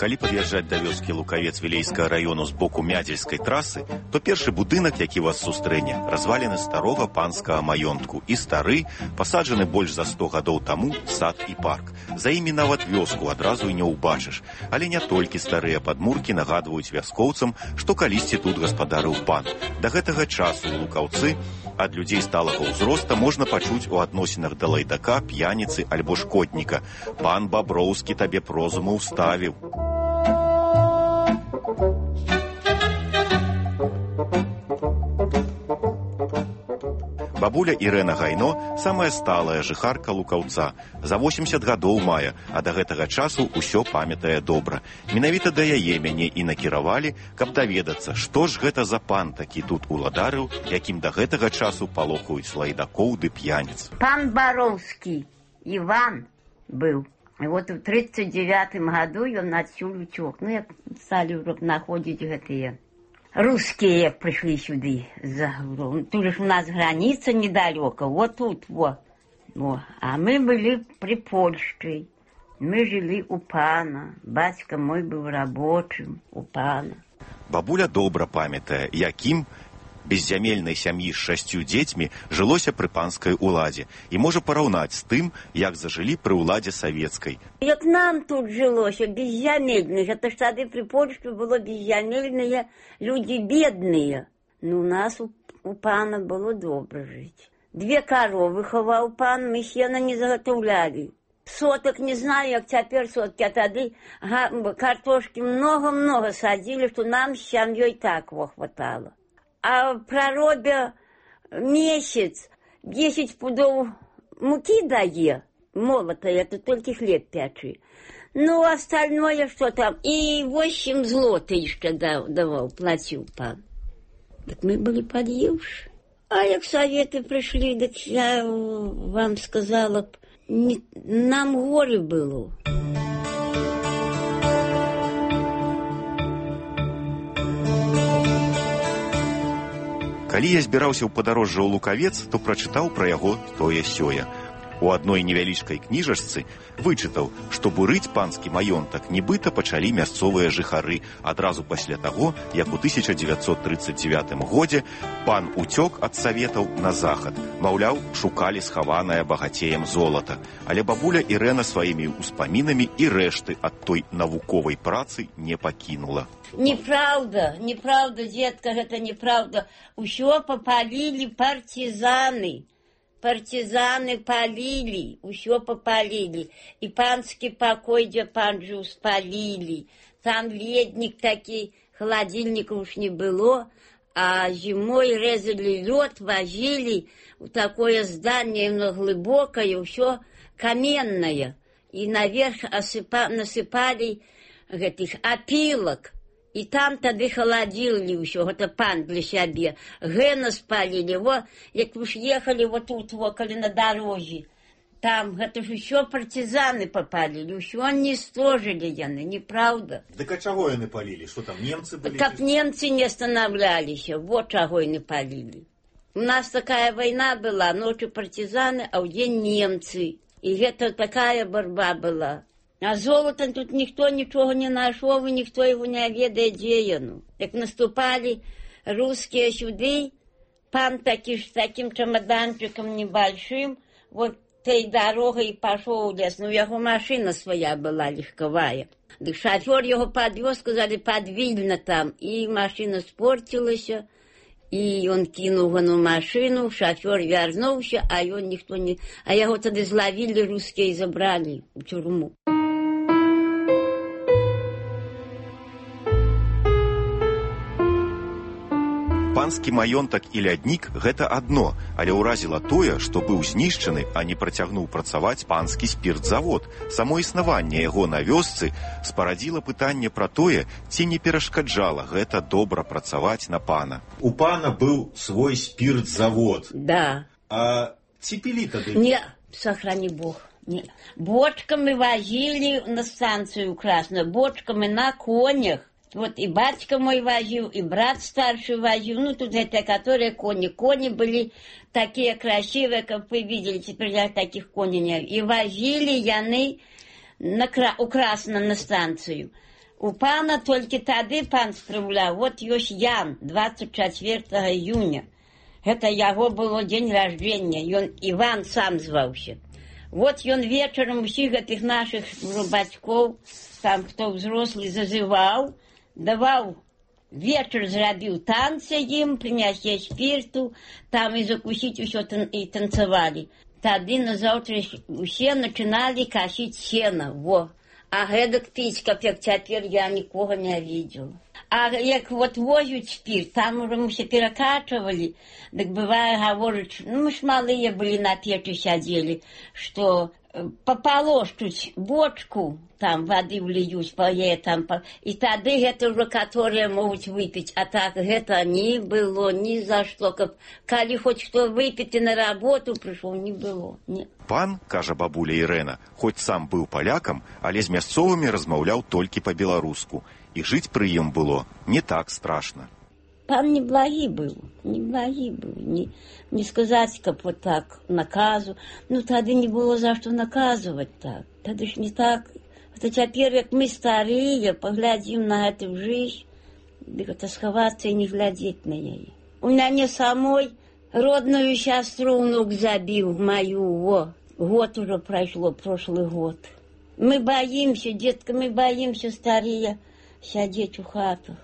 Калі пад'язджаць да вёскі Лукавец Вілейскага раёну з боку Мядзельскай трасы, то першы будынак, які вас сустрэне, разваліны старога панскага маёнтку і стары, пасаджаны больш за сто гадоў таму сад і парк. За імі нават вёску адразу і не ўбачыш. Але не толькі старыя падмуркі нагадваюць вяскоўцам, што калісьці тут гаспадарыў пан. Да гэтага часу ў Лукаўцы ад людзей сталага ўзроста можна пачуць у адносінах да лайдака, п'яніцы альбо шкодніка. Пан Баброўскі табе прозуму ўставіў. Бабуля Ірэна Гайно – самая сталая жыхарка Лукаўца. За восемьдесят гадоў мае, а да гэтага часу ўсё памятае добра. Менавіта да яе мяне і накіравалі, каб даведацца, што ж гэта за пан такі тут уладарыў, якім да гэтага часу палохаюць лайдакоў ды п'яніц. Пан Бароўскі Іван быў. І вот у тридцать девятым году ён адсюль уцёк. Ну, як сталі находзіць гэтыя русские пришли сюда за тут же у нас граница недалеко, вот тут, вот. вот. А мы были при Польше. Мы жили у пана. Батька мой был рабочим у пана. Бабуля добра памятае, якім беззямельнай сям'і з шасцю дзецьмі жылося пры панскай уладзе і можа параўнаць з тым, як зажылі пры уладзе савецкай. Як нам тут жылося, беззямельных, это ж тады при Польше было беззямельные, люди бедные. Ну, у нас у, у пана было добра жить. Две коровы хаваў пан, мы сена не заготовляли. Соток не знаю, як цяпер сотки, а тады картошки много-много садили, что нам с семьей так во хватало. А проробя месяц десять пудов муки дае, молотая, это только хлеб пячи. Ну, остальное что там, и восемь злотых еще давал, платил пан. Так мы были подъевши. А як советы пришли, так я вам сказала, не, нам горе было. Калі я збіраўся ў падарожжа ў Лукавец, то прачытаў пра яго тое-сёе. У адной невялічкай кніжачцы вычытаў, што бурыць панскі маёнтак нібыта пачалі мясцовыя жыхары адразу пасля таго, як у тысяча дзевяцьсот трыццаць дзевятым годзе пан уцёк ад саветаў на захад. Маўляў, шукалі схаванае багацеем золата. Але бабуля Ірэна сваімі ўспамінамі і рэшты ад той навуковай працы не пакінула. Неправда, неправда, детка, гэта неправда. Усё попалілі партизаны. Партизаны палили, усё попалили. И панский покой, где пан жил, спалили. Там ледник такой, холодильника уж не было. А зимой резали лед, возили в такое здание, но глубокое, усё каменное. И наверх осыпа, насыпали этих опилок. И там тады холодили ўсё, гэта пан для сябе. Гэна спалили, во, як уж ехали вот тут, во, калі на дороге. Там, гэта ж усё партизаны попалили, усё уничтожили яны, неправда. Так а чаго яны палили? Что там, немцы были? Так немцы не останавливались, вот чаго яны палили. У нас такая война была, ночью партизаны, а в день немцы. И это такая борьба была. А золотом тут никто ничего не нашел, и никто его не ведает, где оно. Как наступали русские сюда, пан таки с таким чемоданчиком небольшим, вот той дорогой и пошел в лес. Ну, его машина своя была легковая. Так шофер его подвез, сказали, подвильно там. И машина спортилась, и он кинул на машину, шофер вернулся, а его никто не... А его тогда зловили русские и забрали в тюрьму. Панскі маёнтак і ляднік – гэта адно, але ўразіла тое, што быў знішчаны, а не працягнуў працаваць панскі спіртзавод. Само існаванне яго на вёсцы спарадзіла пытанне пра тое, ці не перашкаджала гэта добра працаваць на пана. У пана быў свой спіртзавод. Да. А ці пілі тады? Не, сохрани Бог. Не. Бочками возили на станцию Красную, бочками на конях. Вот и батька мой возил, и брат старший возил, ну тут это, которые кони. Кони были такие красивые, как вы видели, теперь я таких коней не... И возили яны на, у Красна на станцию. У пана только тады пан справлял, вот ёсць Ян, двадцать четвёртого июня. Это его было день рождения, и он Иван сам звался. Вот он вечером всех этих наших батьков, там кто взрослый, зазывал, давал, вечер зрабіў танцы им, принесли спирту, там и закусить все и танцевали. Тады на завтра все начинали косить сено, во. А гэтак пить, как теперь я никого не видел. А як вот возят спирт, там уже мы все перекачивали, так бывает, говорят, ну мы ж малые были на печи сидели, что пополощуть бочку, там воды влиють, пое там, по... и тады гэта уже, которые могут выпить, а так гэта не было ни за что, как, коли хоть кто выпить и на работу пришел, не было, не. Пан, кажа бабуля Ірэна, хоць сам быў палякам, але з мясцовымі размаўляў толькі па-беларуску, і жыць пры ім было не так страшна. Пан неблагий был, неблагий был. Не, не сказать, как вот так, наказу. Ну, тогда не было за что наказывать так. Тогда ж не так. Это теперь, как мы старые, поглядим на эту жизнь, это сховаться и не глядеть на нее. У меня не самой родную сестру внук забил, мою, во. Год уже прошло, прошлый год. Мы боимся, детка, мы боимся старые сидеть у хатах.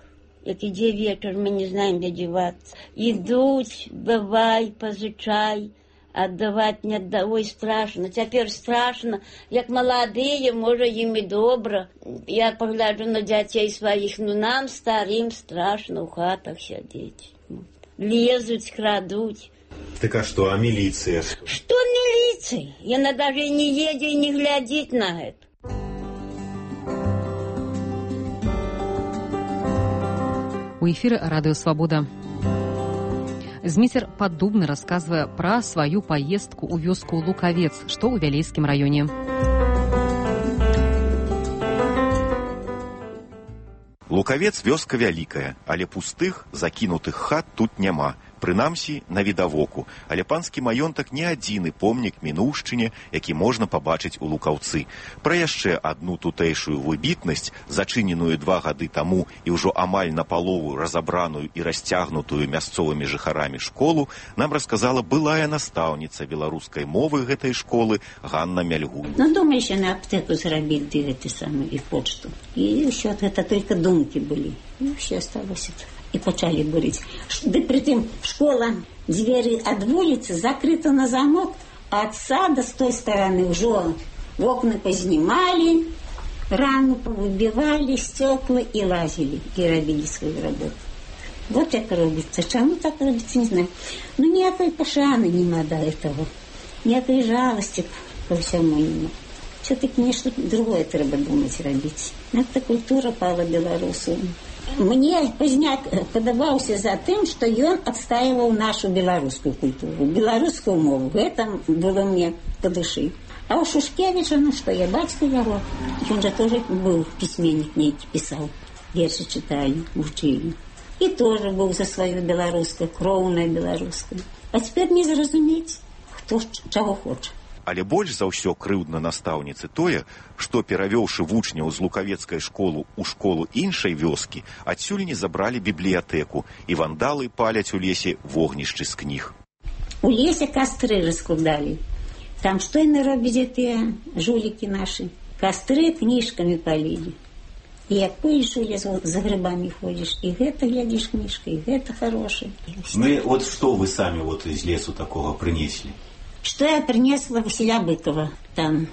Як іде вечір, ми не знаємо, де діватися. Ідуть, давай, позичай, отдавать не отдавай, страшно. Тепер страшно, як молодые, може їм і добре. Я погляджу на дітей своїх, ну нам, старим, страшно в хатах сидіти. Лезуть, крадуть. Так а что, а милиция? Что милиция? И она даже и не едет, и не глядит на это. У эфіры радыё Свабода. Зміцер Паддубны расказвае пра сваю паездку ў вёску Лукавец, што ў Вялейскім раёне. Лукавец вёска вялікая, але пустых, закінутых хат тут няма. Прынамсі, на відавоку, але панскі маёнтак не адзіны помнік мінуўшчыне, які можна пабачыць у Лукаўцы. Пра яшчэ адну тутэйшую выбітнасць, зачыненую два гады таму і ўжо амаль напалову разабраную і расцягнутую мясцовымі жыхарамі школу, нам расказала былая настаўніца беларускай мовы гэтай школы Ганна Мяльгун. Ну, думаешь, на аптеку зрабіць ды гэты самы і почту. І ўсё гэта толькі думкі былі. І ўсё асталося. И почали бурить. Да притым школа, двери от улицы закрыты на замок, а от сада с той стороны уже окна познимали, рамы повыбивали, стекла и лазили, и робили свою работу. Вот как робится. Чему так робится, не знаю. Но никакой пошаны нема до этого. Никакой жалости ко всему нема. Все-таки нечто другое треба думать робить. Это культура пала белорусу. Мне Позняк подаваўся за тым, што ён адстаивал нашу беларускую культуру, беларускую мову. Это было мне по душы. А у Шушкевича, ну что, я бацька яго. Он же тоже был письменник, нейкі писал. Верши читали, учили. И тоже был за свою беларускую, кроўная беларускую. А теперь не зразумець, хто чаго хоча. Але больш за ўсё крыўдна настаўніцы тое, што, перавёўшы вучняў з лукавецкай школы ў школу іншай вёскі, адсюль не забралі бібліятэку, і вандалы паляць у лесе вогнішчы з кніг. У лесе кастры раскладалі. Там што яны робяць тыя жулікі нашы? Кастры кніжкамі палілі. І як поеш у лес, за грибамі ходзіш, і гэта глядзіш кніжка, і гэта хорошае. Ну, вот что вы сами вот из лесу такого принесли? Что я принесла Василя Быкова, там,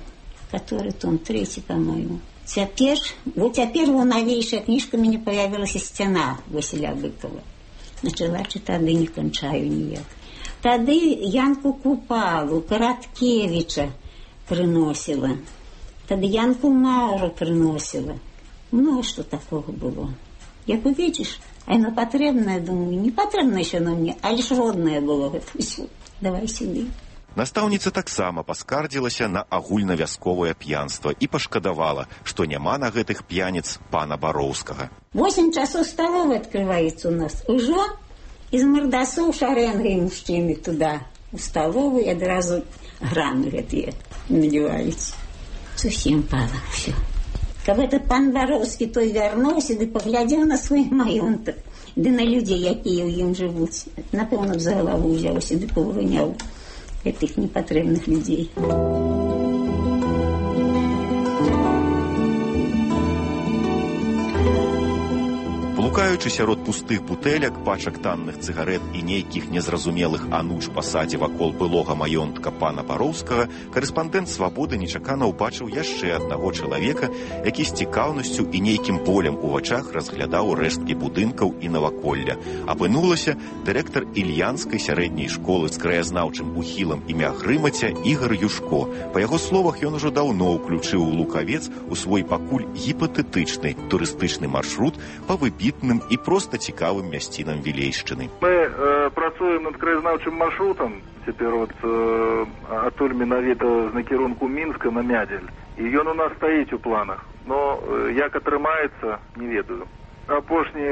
который том третий, по-моему. Теперь, вот теперь вот новейшая книжка мне появилась «Стена» Василя Быкова. Начала читать, да не кончаю никак. Тогда Янку Купалу, Короткевича приносила. Тогда Янку Мауру приносила. Ну, что такого было. Як увидишь, оно потребное, думаю, не потребное еще на мне, а лишь родное было это все. Давай сюда. Настаўніца таксама паскардзілася на агульнавясковае п'янства і пашкадавала, што няма на гэтых п'яніц пана Бароўскага. Восемь часов столовой открывается у нас. Уже из мордасов шаренгой мужчины туда, в столовую, и одразу граны гэтые надеваются. Совсем пало все. Как этот пан Бароўскі той вярнуўся, ды поглядел на свой маёнтак, ды на людей, якія ў ім жывуць. Напэўна, за голову ўзяўся, ды павыганяў этих непотребных людей. Блукаючы сярод пустых бутэлек, пачак танных цыгарэт і нейкіх незразумелых ануч па садзе вакол былога маёнтка пана Бароўскага, карэспандэнт «Свабоды» нечакана ўбачыў яшчэ аднаго чалавека, які з цікаўнасцю і нейкім болем у вачах разглядаў рэшткі будынкаў і наваколля. Апынулася дырэктар ільянскай сярэдняй школы з краязнаўчым ухілам імя Грымаця Ігар Юшко. Па яго словах, ён ужо даўно ўключыў Лукавец у свой пакуль гіпатэтычны турыстычны маршрут па выбітным і проста цікавым мясцінам Вілейшчыны. Мы э, працуем над краязнаўчым маршрутам. Цяпер вот э, адтуль менавіта з накірунку Мінска на Мядзель. І ён у нас стаіць у планах. Но э, як атрымаецца, не ведаю. Апошні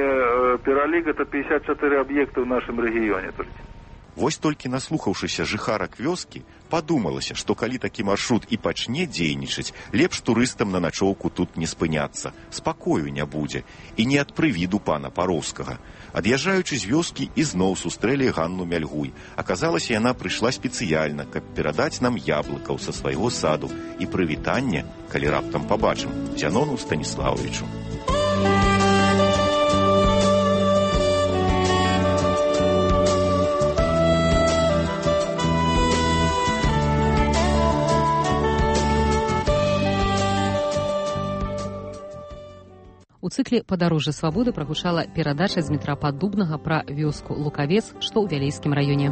пералік – это пятьдесят четыре аб'екты ў нашым рэгіёне толькі. Вось толькі наслухаўшыся жыхарак вёскі, падумалася, што калі такі маршрут і пачне дзейнічаць, лепш турыстам на начоўку тут не спыняцца, спакою не будзе, і не ад прывіду пана Пароўскага. Ад'язджаючы з вёскі, ізноў сустрэлі Ганну Мяльгуй. Аказалася, яна прыйшла спецыяльна, каб перадаць нам яблыкаў са свайго саду і прывітанне, калі раптам пабачым, Зянону Станіславовичу. У цыкле «Падарожжа свабоды» прагучала перадача з Дмітра Паддубнага пра вёску Лукавец, што ў Вялейскім раёне.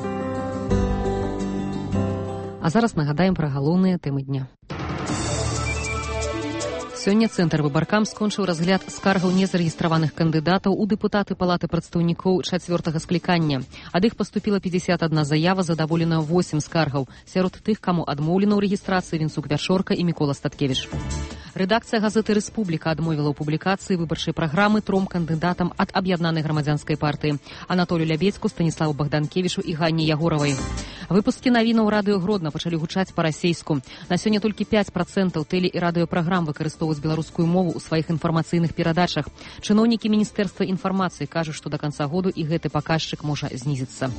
А зараз нагадаем пра галоўныя тэмы дня. Сёння Цэнтр Выбаркам скончыў разгляд скаргаў незарэгістраваных кандыдатаў у дэпутаты Палаты прадстаўнікоў чацвёртага склікання. Ад іх паступіла пятьдесят одна заява, задаволена восемь скаргаў. Сярод тых, каму адмоўлена ў рэгістрацыі, Вінцук Вячорка і Мікола Статкевіч. Рэдакцыя газеты «Рэспубліка» адмовіла ў публікацыі выбарчай праграмы тром кандыдатам ад аб'яднанай грамадзянскай партыі – Анатолію Лябедзьку, Станіславу Богданкевічу і Ганне Ягоравай. Выпускі навінаў радыё Гродна пачалі гучаць па-расейску. На сёння толькі пяць працэнтаў тэле- і радыёпраграм выкарыстоўваюць беларускую мову ў сваіх інфармацыйных перадачах. Чыноўнікі Міністэрства інфармацыі кажуць, што да канца году і гэты паказчык можа знізіцца.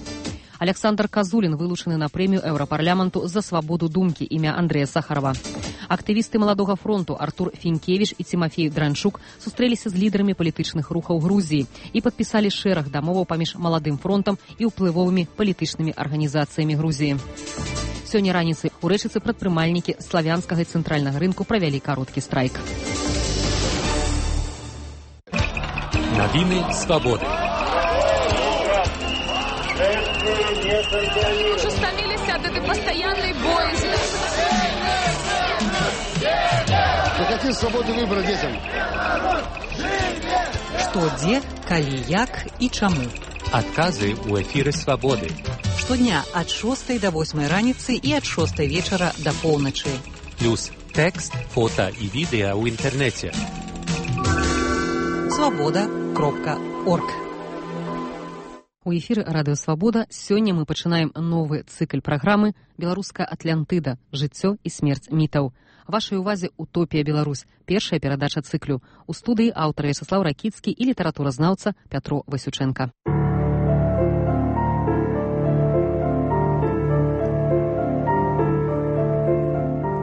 Александр Казулін вылучаны на прэмію Еўрапарламенту за свабоду думкі імя Андрэя Сахарова. Актывісты Маладога фронту Артур Фінкевіч і Цімафей Дранчук сустрэліся з лідарамі палітычных рухаў Грузіі і падпісалі шэраг дамоваў паміж Маладым фронтам і ўплывовымі палітычнымі арганізацыямі Грузіі. Сёння раніцай у Рэчыцы прадпрымальнікі славянскага і цэнтральнага рынку правялі кароткі страйк. Навіны свабоды. Уже стомились от этой постоянной боязни. Ну какие свободы выбора детям? Што, дзе, калі, як і чаму. Адказы ў эфіры свабоды. Штодня ад шостай да восьмай раніцы і ад шостай вечара да поўначы. Плюс тэкст, фота і відэа ў інтэрнэце. свабода кропка орг. У эфіры радыё «Свабода» сёння мы пачынаем новы цыкль праграмы «Беларуская Атлантыда. Жыццё і смерць мітаў». Вашай увазе «Утопія Беларусь» – першая перадача цыклю. У студыі аўтар Вячаслаў Ракіцкі і літаратуразнаўца Пятро Васючэнка.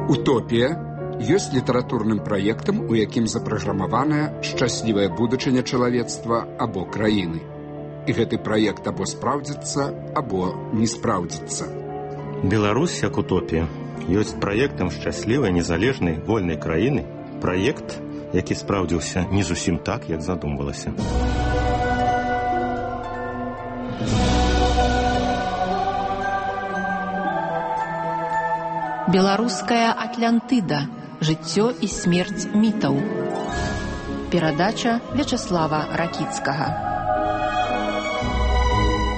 «Утопія» ёсць літаратурным праектам, у якім запраграмаваная шчаслівая будучыня чалавецтва або краіны. І гэты праект або спраўдзіцца, або не спраўдзіцца. Беларусь як утопія ёсць праектам шчаслівай, незалежнай, вольнай краіны. Праект, які спраўдзіўся не зусім так, як задумвалася. Беларуская Атлантыда. Жыццё і смерць мітаў. Перадача Вячаслава Ракіцкага.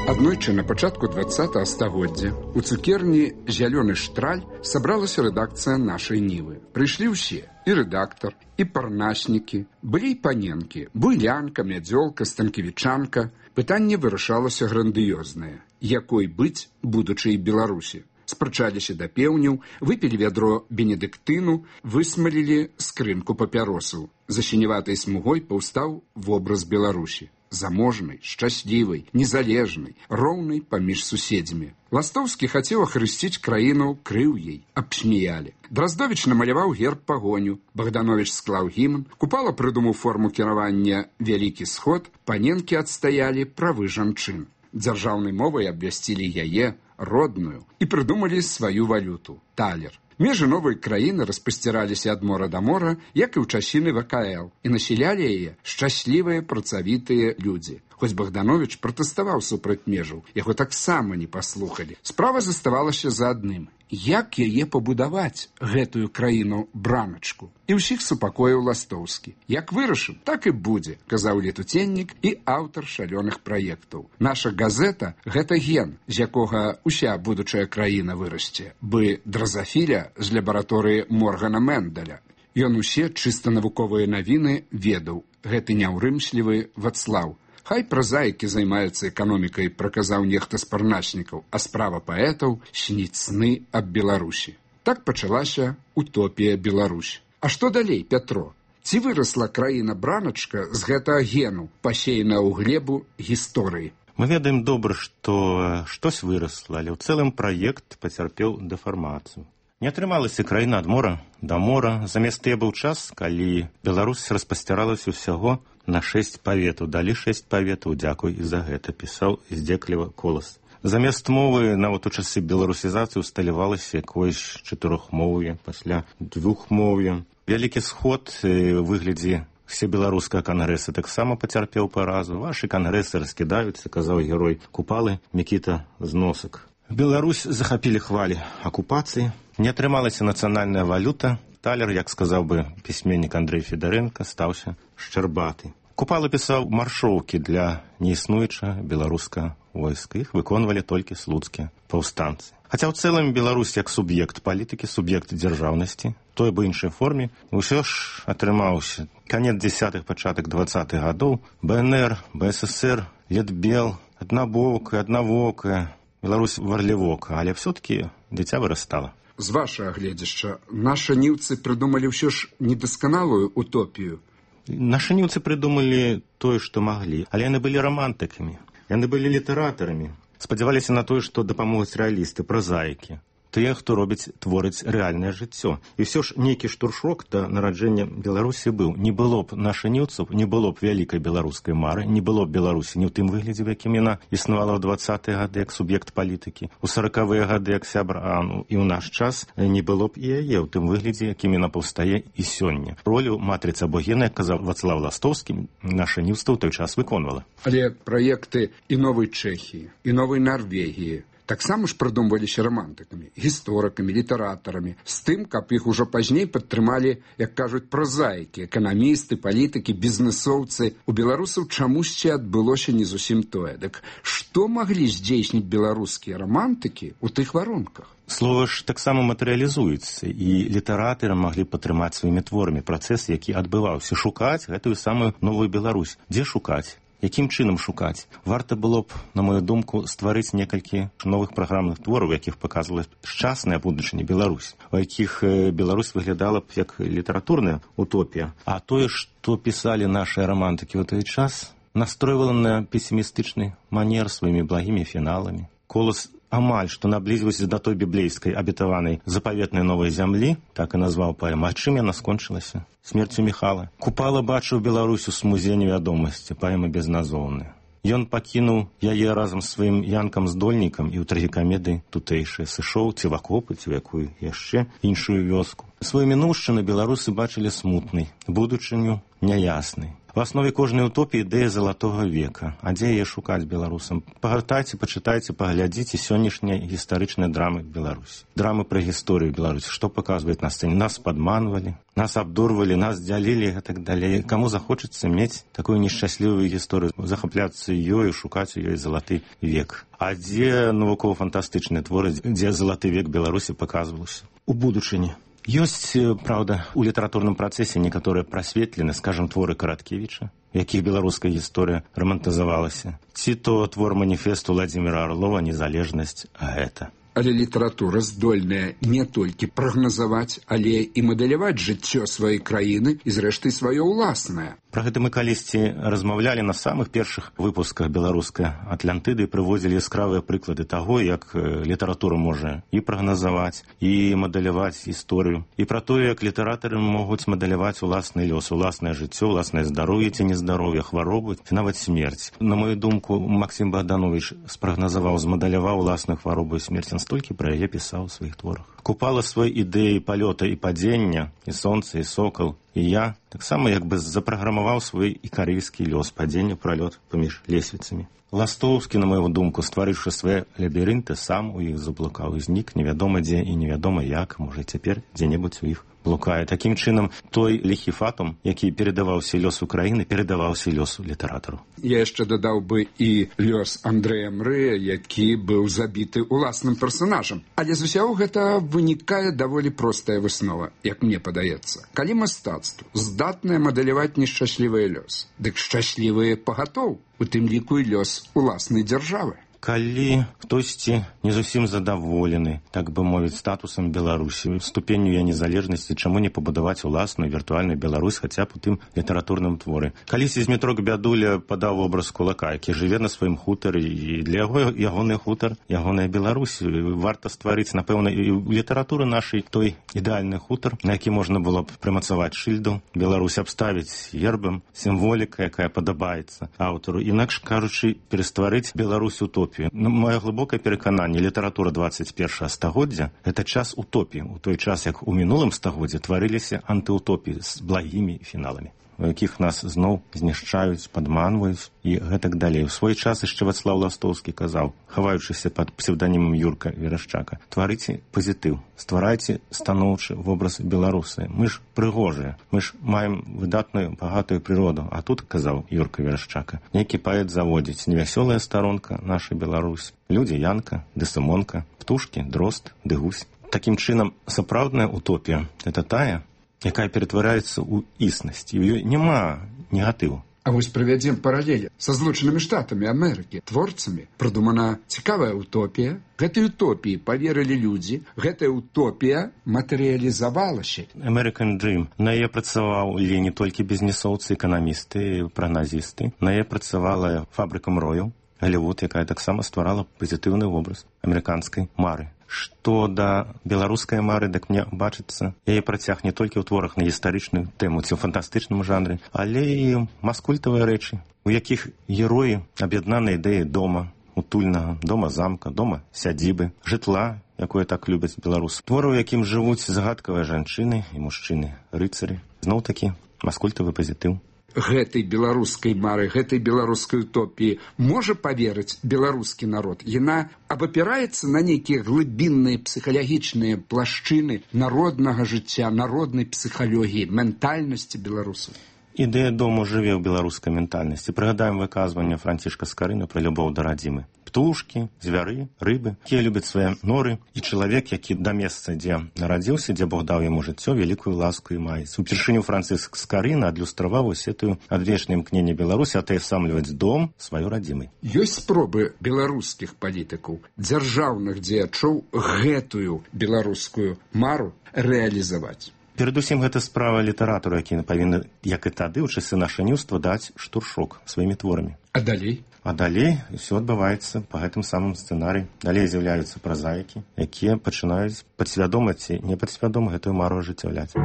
Аднойчы на пачатку двадцатага стагоддзя у цукерні «Зялёны штраль» сабралася рэдакцыя нашай Нівы. Прыйшлі ўсе, і рэдактар, і парнаснікі, былі і паненкі, буйлянка, мядзёлка, станкевічанка. Пытанне вырашалася грандыёзнае. Якой быць будучай Беларусі? Спрачаліся да пеўняў, выпілі вядро бенедыктыну, высмалілі скрынку папяросаў. За сіняватай смугой паўстаў вобраз Беларусі. Заможнай, шчаслівай, незалежнай, роўнай паміж суседзямі. Ластоўскі хацеў ахрысціць краіну, крыў ей, абсміялі. Драздовіч намаляваў герб пагоню, Богданович склаў гімн, Купала прыдумаў форму кіравання «Вялікі сход», паненкі адстаялі правы жанчын. Дзяржаўнай мовай абвясцілі яе, родную, і прыдумалі сваю валюту – талер. Межы новай краіны распасціраліся ад мора да мора, як і ў часіны вэ ка эл, і насялялі яе шчаслівыя працавітыя людзі. Хоць Богданович пратэставаў супраць межаў, яго таксама не паслухалі. Справа заставалася за адным – як яе пабудаваць, гэтую краіну-браначку. І ўсіх супакоіў Ластоўскі. Як вырашым, так і будзе, казаў летуценнік і аўтар шалёных праектаў. Наша газета – гэта ген, з якога ўся будучая краіна вырасце, бы дразафіля з лабараторыі Моргана Менделя. Ён усе чыста навуковыя навіны ведаў. Гэты няўрымслівы Вацлаў. Хай празаікі займаюцца эканомікай, праказаў нехта з парначнікаў, а справа паэтаў сніць сны аб Беларусі. Так пачалася утопія Беларусь. А што далей, Пятро? Ці вырасла краіна-браначка з гэтага гену, пасеяна ў глебу гісторыі? Мы ведаем добра, што штось вырасла, але ў цэлым праект пацярпеў дэфармацыю. Не атрымалася краіна ад мора да мора. Замест тыя быў час, калі Беларусь распасцяралася ўсяго на шэсць паветаў. Далі шэсць паветаў, дзякуй і за гэта, пісаў здзекліва Колас. Замест мовы нават у часы беларусізацыі усталявалася якоюсь чатырохмоўе, пасля двухмоўе. Вялікі сход у выглядзе всебеларускага кангрэса таксама пацярпеў паразу. Вашы кангрэсы раскідаюцца, казаў герой Купалы Мікіта Зносак. Беларусь захапілі хвалі акупацыі. Не атрымалася нацыянальная валюта. Талер, як сказаў бы пісьменнік Андрэй Федарэнка, стаўся шчарбаты. Купала пісаў маршоўкі для неіснуючага беларускага войска. Іх выконвалі толькі слуцкія паўстанцы. Хаця ў цэлым Беларусь як суб'ект палітыкі, суб'ект дзяржаўнасці, той бы іншай форме, ўсё ж атрымаўся. Канец дзесятых, пачатак двадцатых гадоў, БНР, БССР, Летбел, аднабокая, аднавокая, Беларусь варлівока, але все-таки дзіця вырастала. З вашага гледзяшча, нашы ніўцы прыдумалі ўсё ж недасканалую утопію. Нашы ніўцы прыдумалі тое, што маглі, але яны былі рамантыкамі, яны былі літаратарамі, спадзяваліся на тое, што дапамогуць рэалісты, празаікі, тыя, хто робіць, творыць рэальнае жыццё. І ўсё ж нейкі штуршок да нараджэння Беларусі быў. Не было б наша ніўцаў, не было б вялікай беларускай мары, не было б Беларусі не ў тым выглядзе, в якім яна існавала ў двадцатыя гады як суб'ект палітыкі, у саракавыя гады як сябра, а ну, і ў наш час не было б і яе ў тым выглядзе, якім яна паўстае і сёння. Ролю матрыцы або гена, як казаў Вацлаў Ластовскі, наша ніўства ў той час выконвала. Але праекты і новай Чэхіі, і новай Нарвегіі таксама ж прыдумваліся рамантыкамі, гісторыкамі, літаратарамі, з тым, каб іх ужо пазней падтрымалі, як кажуць, празаікі, эканамісты, палітыкі, бізнесоўцы. У беларусаў чамусьці адбылося не зусім тое. Дык што маглі здзейсніць беларускія рамантыкі ў тых варунках? Слова ж таксама матэрыялізуецца, і літаратары маглі падтрымаць сваімі творамі працэс, які адбываўся, шукаць гэтую самую новую Беларусь. Дзе шукаць? Якім чынам шукаць? Варта было б, на мою думку, стварыць некалькі новых праграмных твораў, якіх паказвала шчасная будучыня Беларусь, у якіх Беларусь выглядала б як літаратурная утопія. А тое, што пісалі нашыя рамантыкі ў той час, настройвала на песімістычны манер сваімі благімі фіналамі. Колас амаль што наблізіўся да той біблейскай абетаванай запаветнай новай зямлі, так і назваў паэму. А чым яна скончылася? Смерцю Міхала. Купала бачыў Беларусь у смузе невядомасці, паэма безназоўная. Ён пакінуў яе разам з сваім янкам-здольнікам і ў трагікамедыі тутэйшыя, сышоў ці в акопы, ці в якую яшчэ іншую вёску. Сваю мінуўшчыну беларусы бачылі смутнай, будучыню няяснай. В аснове кожнай утопіі ідэя залатога века. А дзе яе шукаць беларусам? Пагартайце, пачытайце, паглядзіце сённяшнія гістарычныя драмы Беларусі. Драмы пра гісторыю Беларусі. Што паказваюць на сцэне? Нас падманвалі, нас абдурвалі, нас дзялілі і так далей. Каму захочацца мець такую нешчаслівую гісторыю, захапляцца ёю, шукаць у ёй залаты век. А дзе навукова-фантастычныя творы, дзе залаты век Беларусі паказваўся? У будучыні. Ёсць, праўда, у літаратурным працэсе некаторыя прасветлены, скажам, творы Караткевіча, якіх беларуская гісторыя рамантызавалася. Ці то твор маніфесту Владзіміра Арлова «Незалежнасць», а гэта. Але літаратура здольная не толькі прагназаваць, але і мадэляваць жыццё сваёй краіны і, зрэшты, сваё ўласнае. Пра гэта мы калісьці размаўлялі на самых першых выпусках беларускай Атлантыды і прыводзілі яскравыя прыклады таго, як літаратура можа і прагназаваць, і мадэляваць гісторыю, і пра тое, як літаратары могуць мадэляваць уласны лёс, уласнае жыццё, уласнае здароўе ці нездароўе, хваробу, ці нават смерць. На мою думку, Максім Богданович спрагназаваў, змадэляваў уласную хваробу і смерць, столькі пра яе пісаў у сваіх творах. Купала свой ідэі палёта і падзення, і сонца, і сокал, і я таксама як бы запраграмаваў свой ікарыйскі лёс, падзення, пралёт паміж лесвіцамі. Ластоўскі, на маю думку, стварыўшы свае лабірынты, сам у іх заблукаў і знік невядома дзе і невядома як, можа цяпер дзе-небудзь у іх блукае. Такім чынам, той ліхі фатум, які перадаваўся лёсу краіны, перадаваўся лёсу літаратару. Я яшчэ дадаў бы і лёс Андрэя Мрэя, які быў забіты уласным персанажам. Але з усяго гэта вынікае даволі простая выснова, як мне падаецца. Калі мастацтва здатнае мадэляваць нешчаслівыя лёс, дык шчаслівыя пагатоў, у тым ліку і лёс уласнай дзяржавы. Калі хтосьці не зусім задаволены, так бы мовіць, статусам Беларусі, ступенню яе незалежнасці, чаму не пабудаваць уласную віртуальную Беларусь хаця б у тым літаратурным творы. Калісьці Змітрок Бядуля падаў вобраз кулака, які жыве на сваім хутары, і для яго ягоны хутар, ягоная Беларусь. Варта стварыць, напэўна, і ў літаратуры нашай той ідэальны хутар, на які можна было б прымацаваць шыльду, Беларусь абставіць гербам, сімволіка, якая падабаецца аўтару. Інакш кажучы, перастварыць Беларусь утопію. Ну, моё глыбокае перакананне, літаратура двадцать першага стагоддзя – гэта час утопіі, у той час, як у мінулым стагоддзе тварыліся антыутопіі з благімі фіналамі, у якіх нас зноў знішчаюць, падманваюць і гэтак далей. У свой час яшчэ Вацлаў Ластоўскі казаў, хаваючыся пад псевданімам Юрка Верашчака: тварыце пазітыў, стварайце станоўчы вобраз беларусы. Мы ж прыгожыя, мы ж маем выдатную багатую прыроду. А тут, казаў Юрка Верашчака, нейкі паэт заводзіць: невясёлая старонка нашай Беларусь, людзі Янка, ды Сымонка, птушкі, дрозд, ды гусь. Такім чынам, сапраўдная утопія – гэта тая, якая ператвараецца ў існасць, і ў ёй няма негатыву. А вось правядзем паралелі са Злучанымі Штатамі Амерыкі, творцамі. Прыдумана цікавая утопія. Гэтай утопіі паверылі людзі, гэтая утопія матэрыялізавалася. American Dream. На яе працаваў і не толькі бізнесоўцы, эканамісты, прагназісты. На яе працавала фабрыка мрояў, Голливуд, якая таксама стварала пазітыўны вобраз амерыканскай мары. Што да беларускай мары, дык мне бачыцца, яе працяг не толькі ў творах на гістарычную тэму ці ў фантастычным жанры, але і маскультавыя рэчы, у якіх героі аб'яднаны ідэі дома, утульнага, дома-замка, дома-сядзібы, жытла, якое так любяць беларусы. Творы, у якім жывуць загадкавыя жанчыны і мужчыны, рыцары. Зноў-такі маскультавы пазітыў. Гэтай беларускай мары, гэтай беларускай утопіі можа паверыць беларускі народ. Яна абапіраецца на нейкія глыбінныя псіхалагічныя плашчыны народнага жыцця, народнай псіхалогіі, ментальнасці беларусаў. Ідэя дому жыве ў беларускай ментальнасці. Прыгадаем выказванне Францішка Скарына пра любоў да радзімы. Птушкі, звяры, рыбы, якія любяць свае норы, і чалавек, які да месца, дзе нарадзіўся, дзе Бог даў яму жыццё, вялікую ласку і маецца. Упершыню Франціск Скарына адлюстраваў усетую адвечнае імкненне Беларусі атаясамліваць дом сваёй радзімай. Ёсць спробы беларускіх палітыкаў, дзяржаўных дзеячоў гэтую беларускую мару рэалізаваць. Перадусім, гэта справа літаратура, які павінны, як і тады, ў часы нашаніўства, даць штуршок сваімі творамі. А далей? А далей ўсё адбываецца па гэтым самым сцэнарыі. Далей з'яўляюцца празаікі, якія пачынаюць падсвядома ці непадсвядома гэтую мару ажыццяўляць.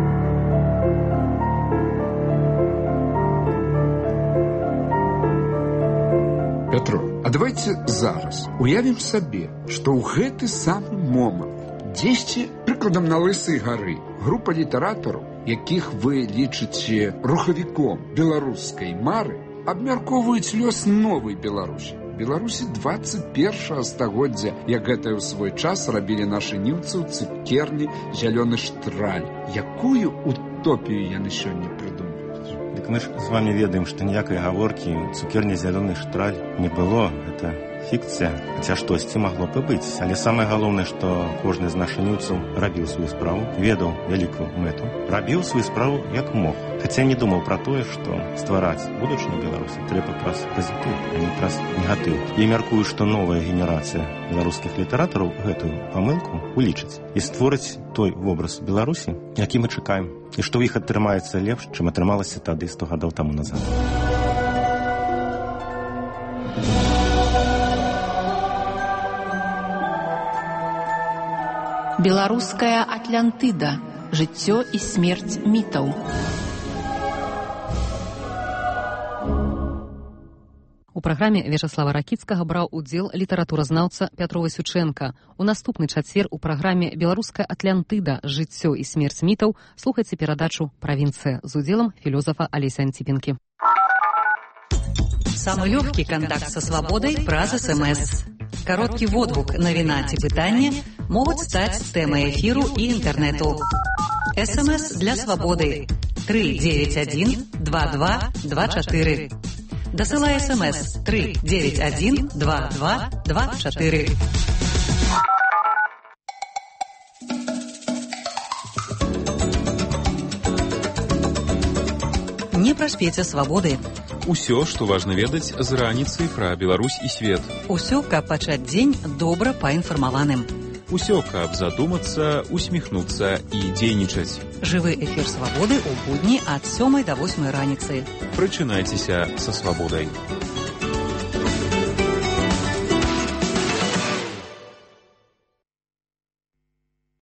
Пятро, а давайте зараз уявім сабе, што ў гэты самы момант дзесьці, прыкладам, на Лысай гары, група літаратараў, якіх вы лічыце рухавіком беларускай мары, абмяркоўваюць лёс новай Беларусі. Беларусі двадцать першага стагоддзя, як гэта ў свой час рабілі нашы ніўцы ў цукерні «Зялёны штраль». Якую утопію яны сёння прыдумаюць? Дык мы ж з вамі ведаем, што ніякай гаворкі цукерні «Зялёны штраль» не было. Гэта фікцыя, хаця штосьці магло б і быць. Але самае галоўнае, што кожны з нашаніўцаў рабіў сваю справу, ведаў вялікую мэту, рабіў сваю справу як мог. Хаця не думаў пра тое, што ствараць будучыню Беларусі трэба праз пазітыў, а не праз негатыў. І мяркую, што новая генерацыя беларускіх літаратараў гэтую памылку улічыць і створыць той вобраз Беларусі, які мы чакаем, і што ў іх атрымаецца лепш, чым атрымалася тады сто гадоў таму назад. Беларуская Атлантыда. Жыццё і смерць мітаў. У праграме Вячаслава Ракіцкага браў удзел літаратуразнаўца Пятро Васючэнка. У наступны чацвер у праграме «Беларуская Атлантыда. Жыццё і смерць мітаў» слухайце перадачу «Правінцыя» з удзелам філёзафа Алеся Антипенкі. Самый легкий контакт со свободой праз СМС. Короткий водгук навіна ці пытання могуць стаць тэмай эфіру і інтэрнэту. СМС для свабоды три девять один два два два четыре. Дасылай СМС три девять один два два два четыре. Не праспеце свабоды. Усё, што важна ведаць з раніцы пра Беларусь і свет. Усё, каб пачаць дзень добра паінфармаваным. Усё, каб задумацца, усміхнуцца і дзейнічаць. Жывы эфір свабоды ў будні ад сёмай да восьмай раніцы. Прачынайцеся са свабодай.